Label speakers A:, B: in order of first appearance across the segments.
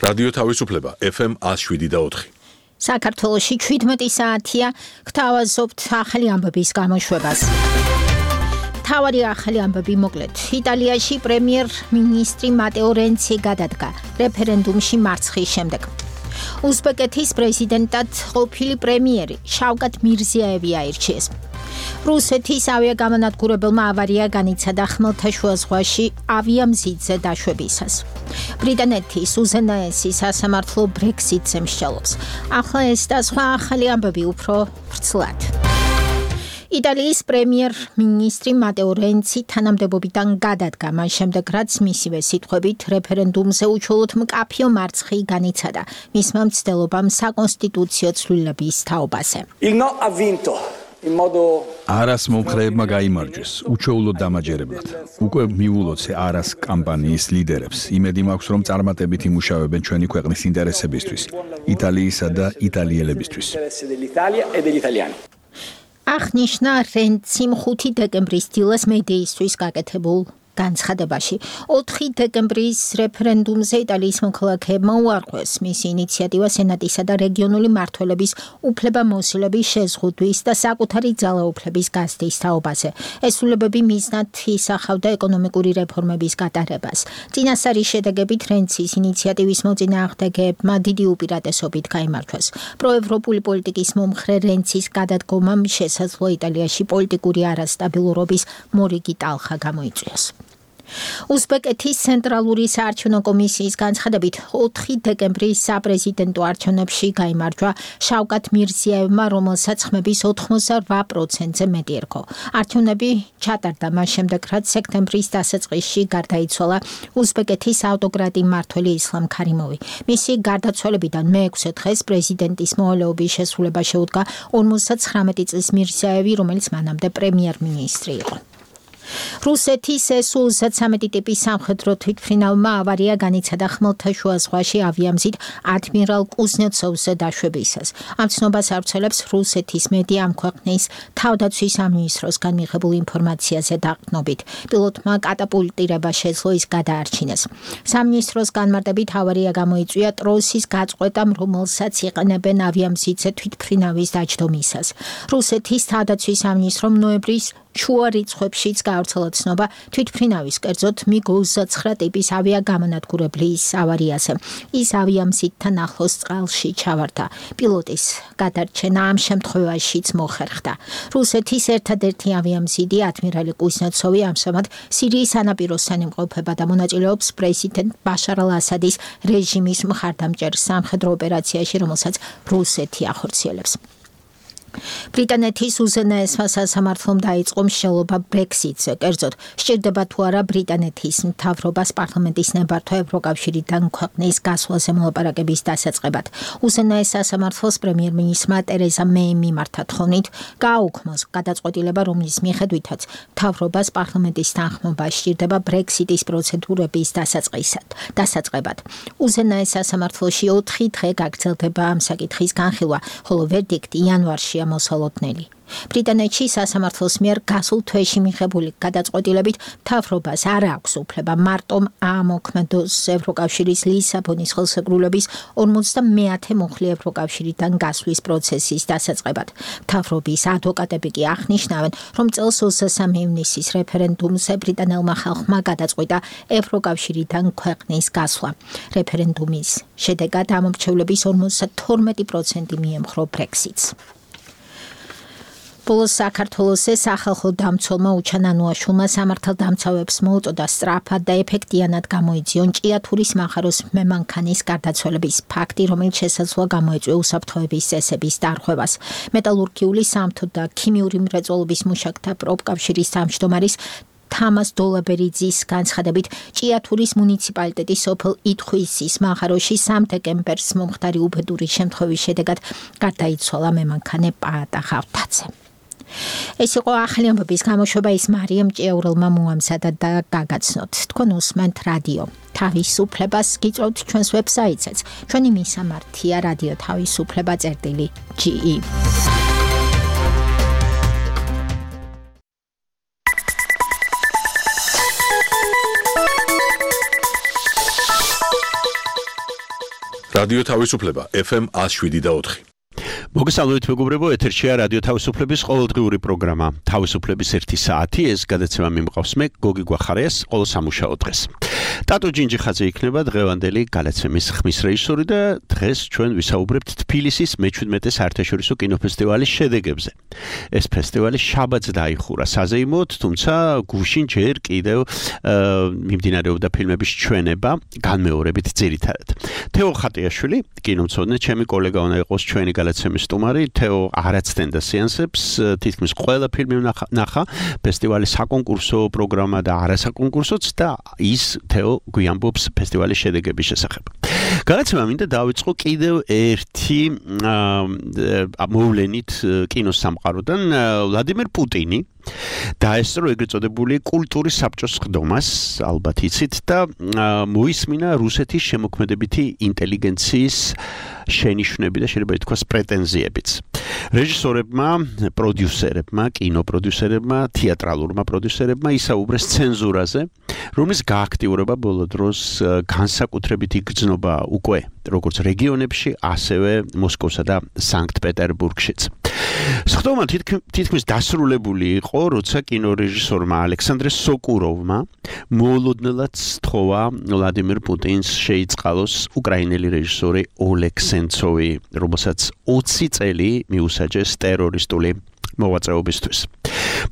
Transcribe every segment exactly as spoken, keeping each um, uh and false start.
A: რადიო თავისუფლება ეფ ემ one oh seven point four.
B: საქართველოში შვიდმეტი საათია გთავაზობთ ახალი ამბების გამოშვებას. თავარი ახალი ამბები მოკლედ. იტალიაში პრემიერ-მინისტრი მატეო რენცი გადადგა რეფერენდუმში მარცხის შემდეგ. უზბეკეთის პრეზიდენტად ყოფილი პრემიერი შავკატ მირზიაევი აირჩიეს. რუსეთის ავიაგამონათგურებელმა ავარია განიცადა ხმელთაშუა ზღვაში ავიამზიდზე დაშვებისას. ბრიტანეთის უზენაესი სასამართლო ბრექსიტზე მსჯელობს. ახლა ეს და სხვა ახალი ამბები უფრო ვრცლად. იტალიის პრემიერ-მინისტრი მატეო რენცი თანამდებობიდან გადადგა, მას შემდეგ რაც მისივე სიტყვებით რეფერენდუმზე უჩვეულოდ მკაფიო მარცხი განიცადა მისმა მცდელობამ საკონსტიტუციო ცვლილების თაობაზე.
C: არას მომხრეებმა გაიმარჯვეს, უჩვეულოდ დამაჯერებლად. უკვე მიულოცე არას კამპანიის ლიდერებს. იმედი მაქვს, რომ წარმატებით იმუშავებენ ჩვენი ქვეყნის ინტერესებისთვის, იტალიისა და იტალიელებისთვის.
B: აღნიშნა რენციმ ხუთი დეკემბრის დილას მედიისთვის გაკეთებულ განცხადებაში. ოთხი დეკემბრის რეფერენდუმზე იტალიის მოქალაქეებმა უარყვეს მისი ინიციატივა სენატისა და რეგიონული მმართველების უფლებამოსილების შეზღუდვის და საკუთარი ძალაუფლების გაზრდის თაობაზე. ეს ცვლილებები მიზნად ისახავდა ეკონომიკური რეფორმების გატარებას. წინასწარი შედეგებით რენცის ინიციატივის მოწინააღმდეგეებმა დიდი უპირატესობით გაიმარჯვეს. პროევროპული პოლიტიკის მომხრე რენცის გადადგომამ შესაძლოა იტალიაში პოლიტიკური არასტაბილურობის მორიგი ტალხა გამოიწვიოს. უზბეკეთის ცენტრალური საარჩევნო კომისიის განცხადებით ოთხი დეკემბრის საპრეზიდენტო არჩევნებში გაიმარჯვა შავკატ მირზიაევმა, რომელსაც ხმების ოთხმოცდაოთხ პროცენტზე მეტი ერგო. არჩევნები ჩატარდა მას შემდეგ, რაც სექტემბრის დასაწყისში გარდაიცვალა უზბეკეთის ავტოკრატი მმართველი ისლამ ქარიმოვი. მისი გარდაცვალებიდან მეექვსე დღეს პრეზიდენტის მოვალეობის შესრულება შეუდგა ორმოცდათხრამეტი წლის მირზიაევი, რომელიც მანამდე პრემიერ-მინისტრი იყო. რუსეთის ეს ოცდათვრამეტი ტიპის სამხედრო თვითმფრინავმა ავარია განიცადა ხმელთაშუა ზღვაში ავიამზით ადმირალ კუზნეცოვზე დაშვებისას. ამ ცნობას ავრცელებს რუსეთის მედია ამ ქვეყნის თავდაცვის სამინისტროსგან მიღებულ ინფორმაციაზე დაყრდნობით. პილოტმა კატაპულტირება შეძლო ის გადაარჩინეს. სამინისტროს განმარტებით ავარია გამოიწვია ტროსის გაწყვეტამ, რომელსაც იყენებენ ავიამზითზე თვითმფრინავის დაჯდომისას. რუსეთის თავდაცვის სამინისტრომ ნოემბრის შუა რიცხვებშიც გაავრცელა ცნობა თვითმფრინავის, კერძოდ მიგ ოცდათცხრა ტიპის ავიაგამონათგურებლის ავარიაზე. ის ავიამზითთან ახლოს წყალში ჩავარდა. პილოტის გადარჩენა ამ შემთხვევაშიც მოხერხდა. რუსეთის ერთადერთი ავიამზიდი ადმირალი კუზნეცოვი ამჟამად სირიის სანაპიროსთან იმყოფება და მონაწილეობს პრეზიდენტ ბაშარ ალ-ასადის რეჟიმის მხარდამჭერ სამხედრო ოპერაციაში, რომელსაც რუსეთი ახორციელებს. ბრიტანეთის უზენაესმა სასამართლომ დაიწყო მსჯელობა ბრექსიტზე, კერძოდ სჭირდება თუ არა ბრიტანეთის მთავრობას პარლამენტის ნებართვა ევროკავშირიდან ქვეყნის გასვლაზე მოლაპარაკების დასაწყებად. უზენაეს სასამართლოს პრემიერ-მინისტრმა ტერეზა მეიმ მიმართა თხოვნით გააუქმოს გადაწყვეტილება, რომლის მიხედვითაც მთავრობას პარლამენტის თანხმობა სჭირდება ბრექსიტის პროცედურების დასაწყებად. უზენაეს სასამართლოში ოთხი დღე გაგრძელდება ამ საკითხის განხილვა, ხოლო ვერდიქტი იანვარში მოსალოდნელი. ბრიტანეთში სასამართლოს მიერ გასულ თვეში მიღებული გადაწყვეტილებით მთავრობას არ აქვს უფლება მარტომ აამოქმედოს ევროკავშირის ლისაბონის ხელშეკრულების ორმოცდამეათე მუხლი ევროკავშირიდან გასვლის პროცესის დასაწყებად. მთავრობის ადვოკატები კი აღნიშნავენ, რომ წელს ოცდასამი ივნისის რეფერენდუმზე ბრიტანელმა ხალხმა გადაწყვიტა ევროკავშირიდან ქვეყნის გასვლა. რეფერენდუმის შედეგად ამომრჩევლების ორმოცდათორმეტი პროცენტი მიემხრო ბრექსიტს. ბოლოს საქართველოს სახალხო დამცველმა უჩანანუაშვილმა სამართალდამცავებს მოუწოდა სწრაფად და ეფექტიანად გამოიძიონ ჭიათურის მახაროს მემანქანის გარდაცვალების ფაქტი, რომელიც შესაძლოა გამოეწვია უსაფრთხოების წესების დარღვევას. მეტალურგიული, სამთო და ქიმიური მრეწველობის მუშაკთა პროფკავშირის თავმჯდომარის თამას დოლაბერიძის განცხადებით, ჭიათურის მუნიციპალიტეტის სოფელ ითხვისის მახაროში სამი დეკემბერს მომხდარი უბედური შემთხვევის შედეგად გარდაიცვალა მემანქანე პაატა ხავთაძე. ეს იყო ახალი ამბების გამოშვება, ის მარიამ ჭიაურელმა მოამზადა და გაგაცნოთ. თქვენ უსმენთ რადიო თავისუფლებას, გიწევთ ჩვენს ვებსაიტზეც. ჩვენი მისამართია რადიო თავისუფლება წერტილი ჯი ი.
A: რადიო თავისუფლება ეფ ემ one oh seven point four.
D: მოგესალმებით მეგობრებო, ეთერშია რადიო თავისუფლების ყოველდღიური პროგრამა თავისუფლების ერთი საათი. ეს გადაცემა მიმყავს მე გოგი გვახარიას ყოველ სამუშაო დღეს. ტატო ჯინჯიხაძე იქნება დღევანდელი გადაცემის ხმის რეჟისორი და დღეს ჩვენ ვისაუბრებთ თბილისის მეჩვიდმეტე საერთაშორისო კინოფესტივალის შედეგებზე. ეს ფესტივალი შაბათს დაიხურა საზეიმოდ, თუმცა გუშინ ჯერ კიდევ მიმდინარეობდა ფილმების ჩვენება, განმეორებით ძირითადად. თეო ხატიაშვილი, კინომცოდნე, ჩემი კოლეგა უნდა იყოს ჩვენი გადაცემის სტუმარი. თეო არაცდენდა სეანსებს, თითქმის ყველა ფილმი ნახა, ფესტივალის საკონკურსო პროგრამა და არასაკონკურსოც და ის თეო გვიამბობს ფესტივალის შედეგების შესახებ. გადაცემა მინდა დავიწყო კიდევ ერთი მოვლენით კინოს სამყაროდან. ვლადიმერ პუტინი დაესწრო ეგრეთ წოდებული კულტურის საბჭოს ხდომას, ალბათ იცით, და მოისმინა რუსეთის შემოქმედებითი ინტელიგენციის შენიშვნები და შეიძლება ითქვას პრეტენზიებიც. რეჟისორებმა, პროდიუსერებმა, კინოპროდიუსერებმა, თეატრალურმა პროდიუსერებმა ისაუბრეს ცენზურაზე, რომლის გააქტიურება ბოლო დროს განსაკუთრებით იგრძნობა უკვე როგორც რეგიონებში, ასევე მოსკოვსა და სანქტ-პეტერბურგშიც. სხდომა თითქმის დასრულებული იყო, როცა კინორეჟისორმა ალექსანდრე სოკუროვმა მოულოდნელად სთხოვა ვლადიმერ პუტინს შეიწყალოს უკრაინელი რეჟისორი ოლეგ სენცოვი, რომელსაც ოცი წელი მიუსაჯეს ტერორისტული მოღვაწეობისთვის.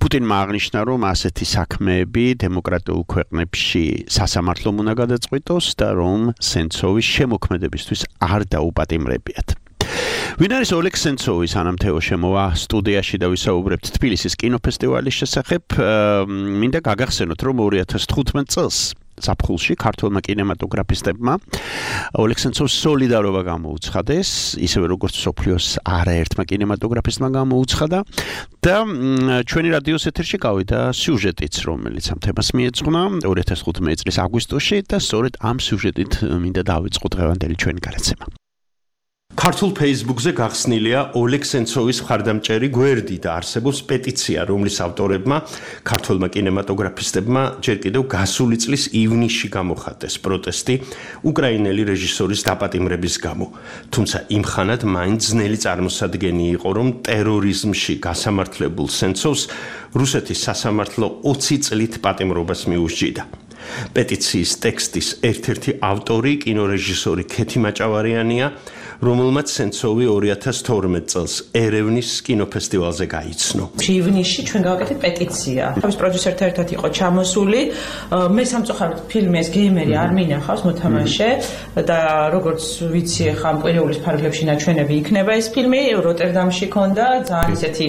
D: პუტინმა აღნიშნა, რომ ასეთი საქმეები დემოკრატიულ ქვეყნებში სასამართლომ უნდა გადაწყვიტოს და რომ სენცოვის შემოქმედებისთვის არ დაუპატიმრებიათ. ვინ არის ოლეგ სენცოვი? სანამ თეო შემოვა სტუდიაში და ვისაუბრებთ თბილისის კინოფესტივალის შესახებ, მინდა გაგახსენოთ, რომ ორი ათას თხუთმეტ წელს ზაფხულში ქართველმა კინემატოგრაფისტებმა ოლეგ სენცოვს სოლიდარობა გამოუცხადეს, ისევე როგორც მსოფლიოს არაერთმა კინემატოგრაფისტმა გამოუცხადა და ჩვენი რადიოს ეთერში გავიდა სიუჟეტიც, რომელიც ამ თემას მიეძღვნა ორი ათას თხუთმეტი წლის აგვისტოში და სწორედ ამ სიუჟეტით მინდა დავიწყო დღევანდელი ჩვენი გადაცემა. ქართულ Facebook-ზე გახსნილია ოლეგ სენცოვის მხარდამჭერი გვერდი და არსებობს პეტიცია, რომლის ავტორებმა ქართულმა კინემატოგრაფისტებმა ჯერ კიდევ გასული წლის ივნისში გამოხატეს პროტესტი უკრაინელი რეჟისორის დაპატიმრების გამო. თუმცა იმ ხანად მაინც ძნელი წარმოსადგენი იყო, რომ ტერორიზმში გასამართლებულ სენცოვს რუსეთის სასამართლო ოცი წლით პატიმრობას მიუსჯიდა. პეტიციის ტექსტის ერთ-ერთი ავტორი კინორეჟისორი ქეთი მაჭავარიანია, რომელმაც სენცოვი ორი ათას თორმეტ წელს ერევნის კინოფესტივალზე გაიცნო.
E: ივნისში ჩვენ გავაკეთეთ პეტიცია. თავის პროდიუსერთან ერთად იყო ჩამოსული. მე სამწუხაროდ ფილმი ეს გეიმერი არ მინახავს მოთამაშე და როგორც ვიცი, ხა კვირეულის ფარგლებში ნაჩვენები იქნება ეს ფილმი. როტერდამში ქონდა ძალიან ისეთი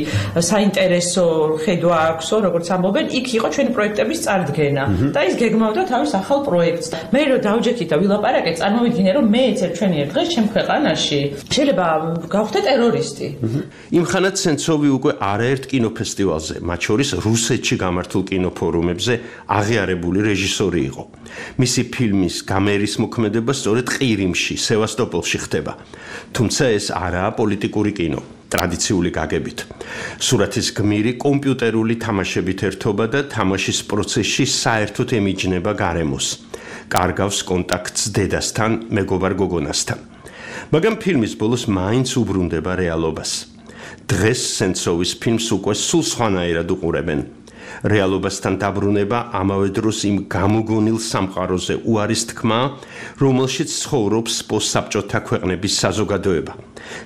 E: საინტერესო ხედვა აქვსო, როგორც ამბობენ, იქ იყო ჩვენი პროექტების წარდგენა და ის გეგმავდა თავის ახალ პროექტს. მე რო დავჯექით და ვილაპარაკე, წარმოვიდგინე, რომ მე ეცერ ჩვენი ერთ დღეს ჩემ ქვეყანაში შეიძლება გავხდე ტერორისტი.
D: იმ ხანად სენცოვი უკვე არაერთ კინოფესტივალზე, მათ შორის რუსეთში გამართულ კინოფორუმებზე აღიარებული რეჟისორი იყო. მისი ფილმის გამერის მოქმედება სწორედ ყირიმში, სევასტოპოლში ხდება. თუმცა ეს არაა პოლიტიკური კინო, ტრადიციული გაგებით. სურათის გმირი კომპიუტერული თამაშებით ერთობა და თამაშის პროცესში საერთოდ ემიჯნება გარემოს. კარგავს კონტაქტს დედასთან, მეგობარ გოგონასთან. მაგრამ ფილმის ბოლოს მაინც უბრუნდება რეალობას. დღეს სენცოვის ფილმს უკვე სულ სხვანაირად უყურებენ. რეალობასთან დაბრუნება ამავე დროს იმ გამოგონილ სამყაროზე უარის თქმა, რომელშიც ცხოვრობს პოსტსაბჭოთა ქვეყნების საზოგადოება.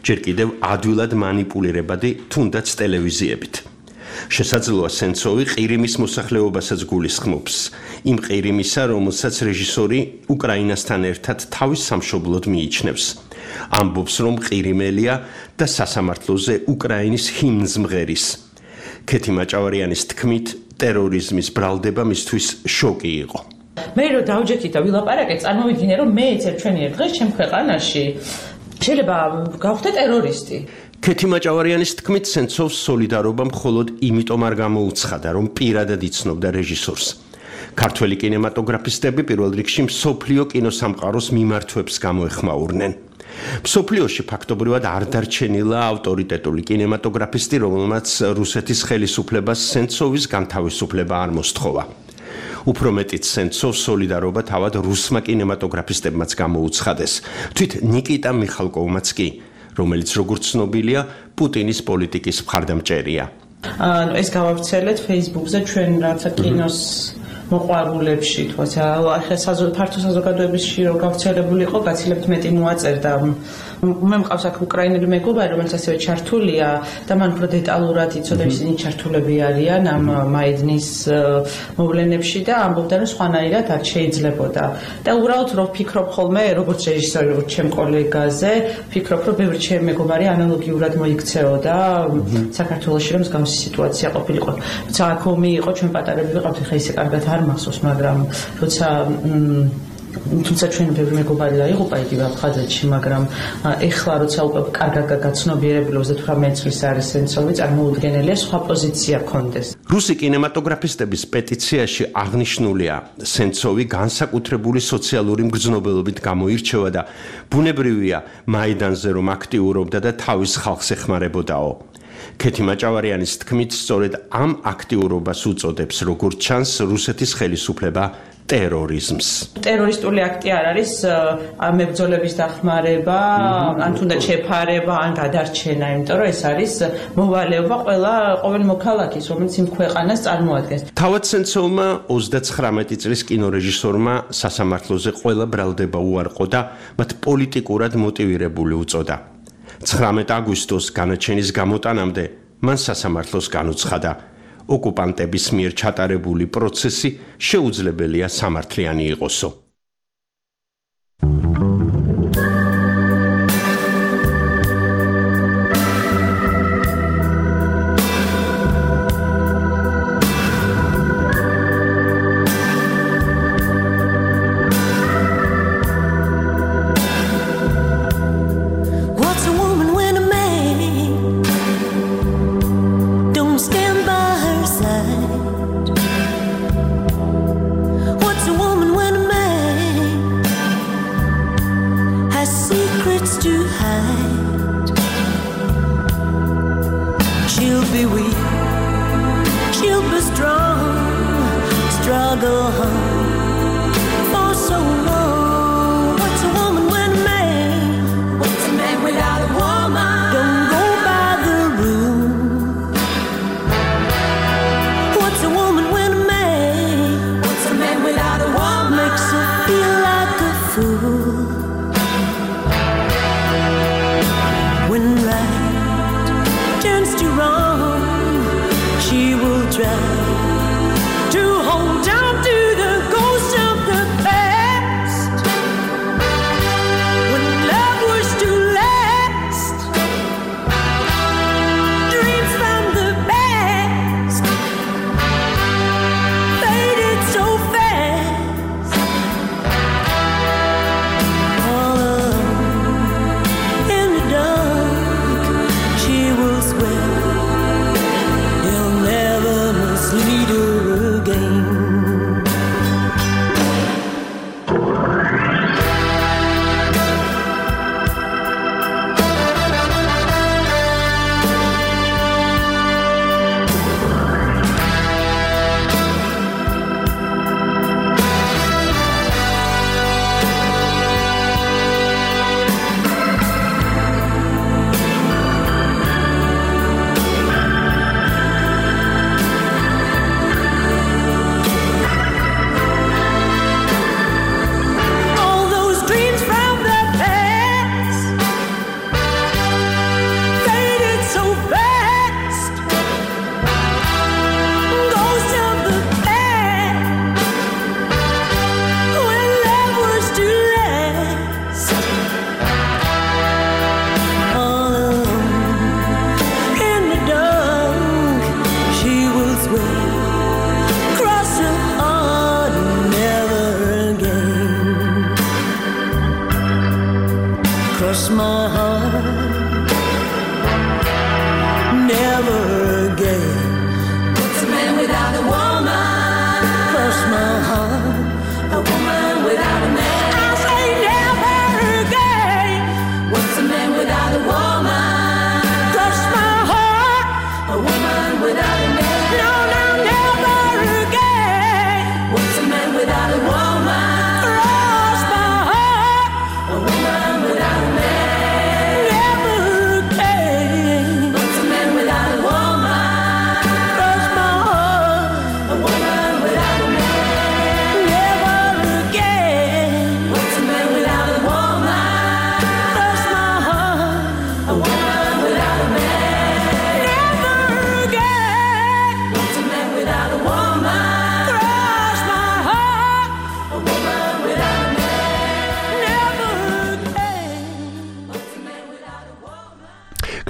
D: ჯერ კიდევ ადვილად მანიპულირებადი თუნდაც ტელევიზიებით. შესაძლოა სენცოვი ყირიმის მოსახლეობასაც გულისხმობს, იმ ყირიმისა, რომელსაც რეჟისორი უკრაინასთან ერთად თავის სამშობლოდ მიიჩნევს. ამბობს, რომ ყირიმელია და სასამართლოზე უკრაინის ჰიმნს მღერის. ქეთი მაჭავარიანის თქმით, ტერორიზმის ბრალდება მისთვის შოკი იყო.
E: მე რო დავჯექით და ვილაპარაკე, წარმოვიდგინე, რომ მე ეცერ ჩვენი ერთ დღეს ჩემ ქვეყანაში შეიძლება გავხდე ტერორისტი.
D: ქეთი მაჭავარიანის თქმით, სენცოვს სოლიდარობა მხოლოდ იმიტომ არ გამოუცხადა, რომ პირადად იცნობდა რეჟისორს. ქართველი კინემატოგრაფისტები პირველ რიგში მსოფლიო კინოსამყაროს მიმართვებს გამოეხმაურნენ. მსოფლიოში ფაქტობრივად არ დარჩენილა ავტორიტეტული კინემატოგრაფისტი, რომელმაც რუსეთის ხელისუფლებას სენცოვის განთავისუფლება არ მოსთხოვა.
F: უფრო მეტიც სენცოვ სოლიდარობა თავად რუსმა კინემატოგრაფისტებმაც გამოუცხადეს. თვით ნიკიტა მიხალკოვმაც კი, რომელიც როგორც ცნობილია, პუტინის პოლიტიკის მხარდამჭერია.
E: ანუ ეს გავავრცელეთ Facebook-ზე ჩვენ რაცა კინოს მოყვარულებში, თქო, ახლა ფართო საზოგადოებაში რო გავრცელებული იყო, გაცილებთ მეტი მოაწერდა. მე მყავს აქ უკრაინელი მეგობარი, რომელიც ასევე ჩართულია და მან უფრო დეტალურად იცოდა ისინი ჩართულები არიან ამ მაიდნის მოვლენებში და ამბობდა, რომ სხვანაირად არ შეიძლებოდა. და უბრალოდ რო ვფიქრობ ხოლმე, როგორც რეჟისორი, როგორც ჩემ კოლეგაზე, ვფიქრობ, რომ ბევრი ჩემი მეგობარი ანალოგიურად მოიქცეოდა საქართველოში, რომ მსგავსი სიტუაცია ყოფილიყო. თუმცა აქ ომი იყო, ჩვენ პატარები ვიყავთ, ხა ისე კარგად არ მახსოვს, მაგრამ როცა თუმცა ჩვენ ბევრი მეგობარი დაიღუპა იგივე აფხაზეთში, მაგრამ ეხლა როცა უკვე კარგად გაცნობიერებული ოცდათვრამეტი წლის არის სენცოვი, წარმოუდგენელია სხვა პოზიცია კონდეს.
F: რუსი კინემატოგრაფისტების პეტიციაში აღნიშნულია, სენცოვი განსაკუთრებული სოციალური მგრძნობელობით გამოირჩევა და ბუნებრივია მაიდანზე რომ აქტიურობდა და თავის ხალხს ეხმარებოდაო. ქეთი მაჭავარიანის თქმით, სწორედ ამ აქტიურობას უწოდებს, როგორც ჩანს, რუსეთის ხელისუფლება ტერორიზმს.
E: ტერორისტული აქტი არ არის მებრძოლების დახმარება, ან თუნდაც შეფარება, ან გადარჩენა, იმიტომ რომ ეს არის მოვალეობა ყველა ყოველ მოქალაქის, რომელიც იმ ქვეყანას წარმოადგენს.
F: თავად სენცოვმა ოცდაცხრამეტი წლის კინორეჟისორმა სასამართლოზე ყველა ბრალდება უარყო და მათ პოლიტიკურად მოტივირებული უწოდა. ცხრამეტ აგვისტოს განაჩენის გამოტანამდე მან სასამართლოს განუცხადა, ოკუპანტების მიერ ჩატარებული პროცესი შეუძლებელია სამართლიანი იყოსო.
G: What's a woman when a man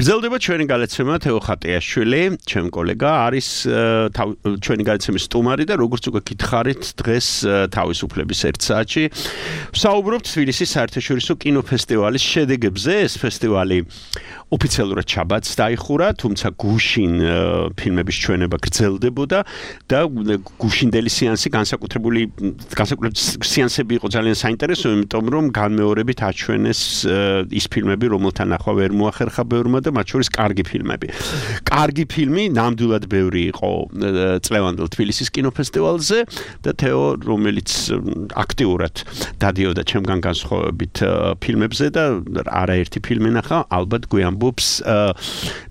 D: გრძელდება ჩვენი გადაცემა თეო ხატიაშვილი, ჩემ კოლეგა არის ჩვენი გადაცემის სტუმარი და როგორც უკვე გითხარით, დღეს თავისუფლების ერთ საათში ვსაუბრობთ თბილისის საერთაშორისო კინოფესტივალის შედეგებზე. ეს ფესტივალი ოფიციალურად შაბათს დაიხურა, თუმცა გუშინ ფილმების ჩვენება გრძელდებოდა და გუშინდელი სეანსი განსაკუთრებული განსაკუთრებული სეანსები იყო ძალიან საინტერესო, იმიტომ რომ განმეორებით აჩვენეს ის ფილმები, რომელთა ნახვა ვერ მოახერხა ბევრმა და მათ შორის კარგი ფილმები. კარგი ფილმი ნამდვილად ბევრი იყო წლევანდელ თბილისის კინოფესტივალზე და თეო, რომელიც აქტიურად დადიოდა ჩემგან განსხვავებით ფილმებზე და არაერთი ფილმი ნახა, ალბათ გვიამბობს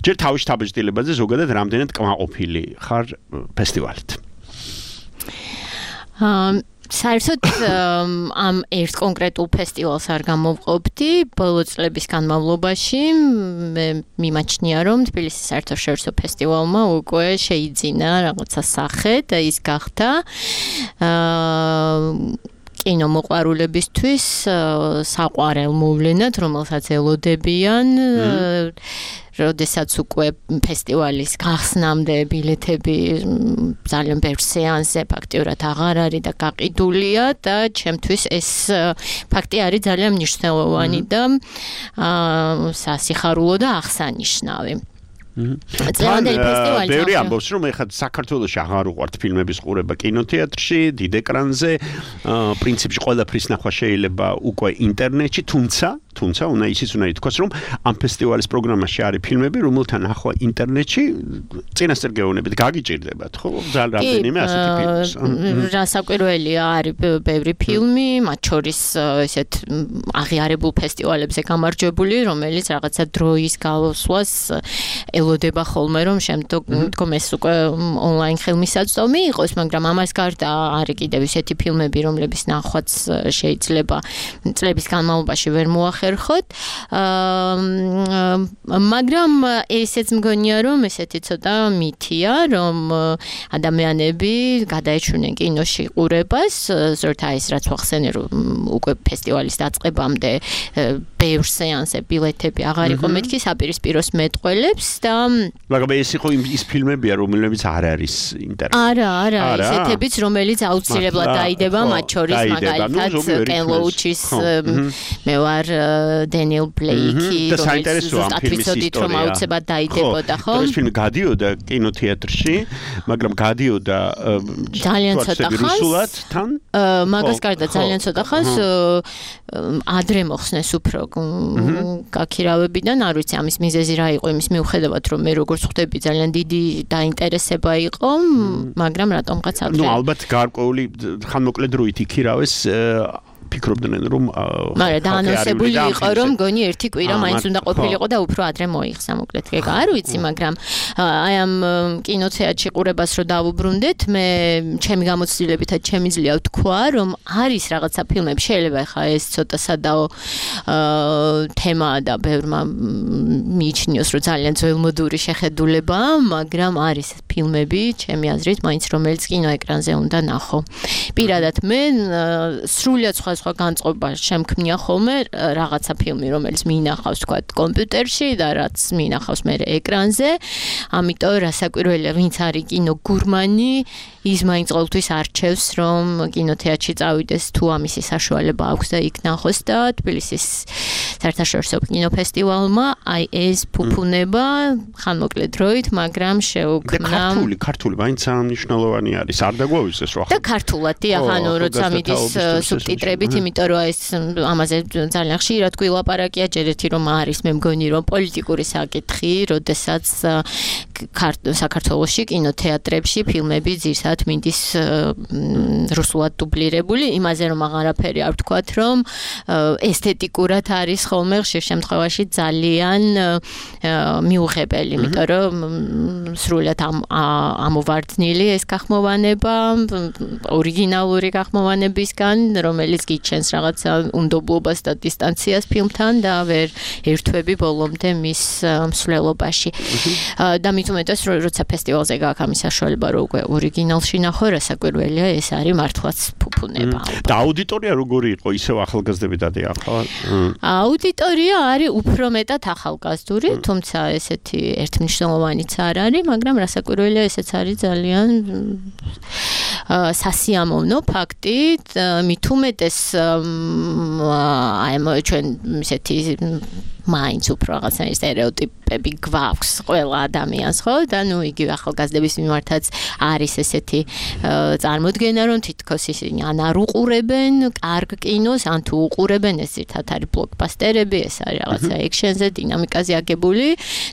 D: ჯერ თავის შთაბეჭდილებაზე, ზოგადად რამდენად კმაყოფილი ხარ ფესტივალით.
G: საერთოდ ამ ერთ კონკრეტულ ფესტივალს არ გამოვყოფდი, ბოლო წლების განმავლობაში მე მიმაჩნია, რომ თბილისის საერთაშორისო ფესტივალმა უკვე შეიძინა რაღაცა სახე და ის გახდა კინომოყვარულებისთვის საყვარელ მოვლენად, რომელსაც ელოდებიან, როდესაც უკვე ფესტივალის გახსნამდე ბილეთები ძალიან ბევრ სეანსზე ფაქტიურად აღარ არის და გაყიდულია და ჩემთვის ეს ფაქტი არის ძალიან მნიშვნელოვანი და სასიხარულო და აღსანიშნავი.
D: წლევანდელი ფესტივალი ბევრი ამბობს, რომ ეხლა საქართველოში აღარ უყვართ ფილმების ყურება კინოთეატრში, დიდ ეკრანზე, პრინციპში ყველაფრის ნახვა შეიძლება უკვე ინტერნეტში, თუმცა თუმცა უნდა ისიც უნდა ითქვას, რომ ამ ფესტივალის პროგრამაში არის ფილმები, რომელთა ნახვა ინტერნეტში წინასწარ გეუბნებით გაგიჭირდებათ, ხო? ძალიან რამდენიმე ასეთი ფილმი.
G: რასაკვირველია, არის ბევრი ფილმი, მათ შორის ესეთ აღიარებულ ფესტივალებზე გამარჯვებული, რომელიც რაღაცა დროის გასვლას ელოდება ხოლმე, რომ შემდგომ ეს უკვე ონლაინ ხელმისაწვდომი იყოს, მაგრამ ამას გარდა არის კიდევ ისეთი ფილმები, რომლების ნახვაც შეიძლება წლების განმავლობაში ვერ მოახერხოთ. მაგრამ ესეც მგონია, რომ ესეთი ცოტა მითია, რომ ადამიანები გადაეჩვენენ კინოში ყურებას, ზოგადად ის რაც ვახსენე, რომ უკვე ფესტივალის დაწყებამდე ბევრ სეანსზე ბილეთები აღარ იყო მეთქი, საპირისპიროს მეტყველებს და
D: მაგრამ ეს იყო ის ფილმებია, რომლებიც არ არის ინტერნეტში.
G: არა, არა, ისეთებიც, რომელიც აუცილებლად დაიდება, მათ შორის მაგალითად კენ ლოუჩის მე ვარ დენიელ ბლეიკი,
D: რომელიც
G: ზუსტად ვიცოდით, რომ აუცილებლად დაიდებოდა, ხო?
D: ეს ფილმი გადიოდა კინოთეატრში, მაგრამ გადიოდა
G: ძალიან ცოტა ხანს.
D: თან?
G: მაგას გარდა ძალიან ცოტა ხანს ადრე მოხსნეს უფრო გაქირავებიდან, არ ვიცი ამის მიზეზი რა იყო, იმის მიუხედავად, რომ მე როგორც ხვდები ძალიან დიდი დაინტერესება იყო, მაგრამ რატომღაც არ.
D: ნუ ალბათ გარკვეული ხანმოკლე დროით იქირავეს ფიქრობდნენ რომ
G: მაგრამ დაანონსებული იყო რომ გონი ერთი კვირა მაინც უნდა ყოფილიყო და უფრო ადრე მოიხსნა მოკლედ ეგ არ ვიცი მაგრამ აი ამ კინოთეატრში ყურებას რო დავუბრუნდეთ მე ჩემი გამოცდილებითაც შემიძლია ვთქვა რომ არის რაღაცა ფილმები შეიძლება ხა ეს ცოტა სადაო თემაა და ბევრმა მიიჩნიოს რომ ძალიან ძველმოდური შეხედულებაა მაგრამ არის ფილმები ჩემი აზრით მაინც რომელიც კინოეკრანზე უნდა ნახო პირადად მე სრულად სხვა სხვა განწყობა შემქმნია ხოლმე რაღაცა ფილმი რომელიც მიინახავს თქვა კომპიუტერში და რაც მიინახავს მე ეკრანზე ამიტომ რასაკვირველია ვინც არის კინო გურმანი ის მაინც ყოველთვის არჩევს რომ კინოთეატრში წავიდეს თუ ამისი საშუალება აქვს და იქ ნახოს და თბილისის საერთაშორისო კინოფესტივალმა აი ეს ფუფუნება ხანმოკლე დროით მაგრამ შეუქმნა
D: ქართული ქართული მაინც მნიშვნელოვანი არის არ დაგვავიწყდეს რა
G: და ქართულად დიახ ანუ როცა მიდის სუბტიტრებით იმიტომ რომ ეს ამაზე ძალიან ხშირად გვილაპარაკია ჯერ ერთი რომ არის მე მგონი რომ პოლიტიკური საკითხი როდესაც საქართველოში კინოთეატრებში ფილმები ძირსად მინდის რუსულად დუბლირებული იმაზე რომ აღარაფერი არ ვთქვათ რომ ესთეტიკურად არის ხოლმე ხშირ შემთხვევაში ძალიან მიუღებელი იმიტომ რომ სრულად ამოვარდნილი ეს გახმოვანება ორიგინალური გახმოვანებისგან რომელიც იჩენს რაღაცა უნდობლობას და დისტანციას ფილმთან და ვერ ერთვები ბოლომდე მის მსვლელობაში. და მით უმეტეს როცა ფესტივალზე გაქვს ამის საშუალება რომ უკვე ორიგინალში ნახო, რასაკვირველია ეს არის მართლაც ფუფუნება.
D: და აუდიტორია როგორი იყო, ისევ ახალგაზრდები დადიახლა?
G: აუდიტორია არის უფრო მეტად ახალგაზრდული, თუმცა ესეთი ერთმნიშვნელოვანიც არ არის, მაგრამ რასაკვირველია ესეც არის ძალიან სასიამოვნო ფაქტი, მით უმეტეს აი ჩვენ ესეთი მაინც უფრო რაღაცა სტერეოტიპები გვაქვს ყველა ადამიანს, ხო? და ნუ იგივე ახალგაზრდების მიმართაც არის ესეთი წარმოდგენა, რომ თითქოს ისინი ან არ უყურებენ კარგ კინოს, ან თუ უყურებენ, ეს ერთად არის ბლოკბასტერები, ეს არის რაღაცა ექშენზე, დინამიკაზე აგებული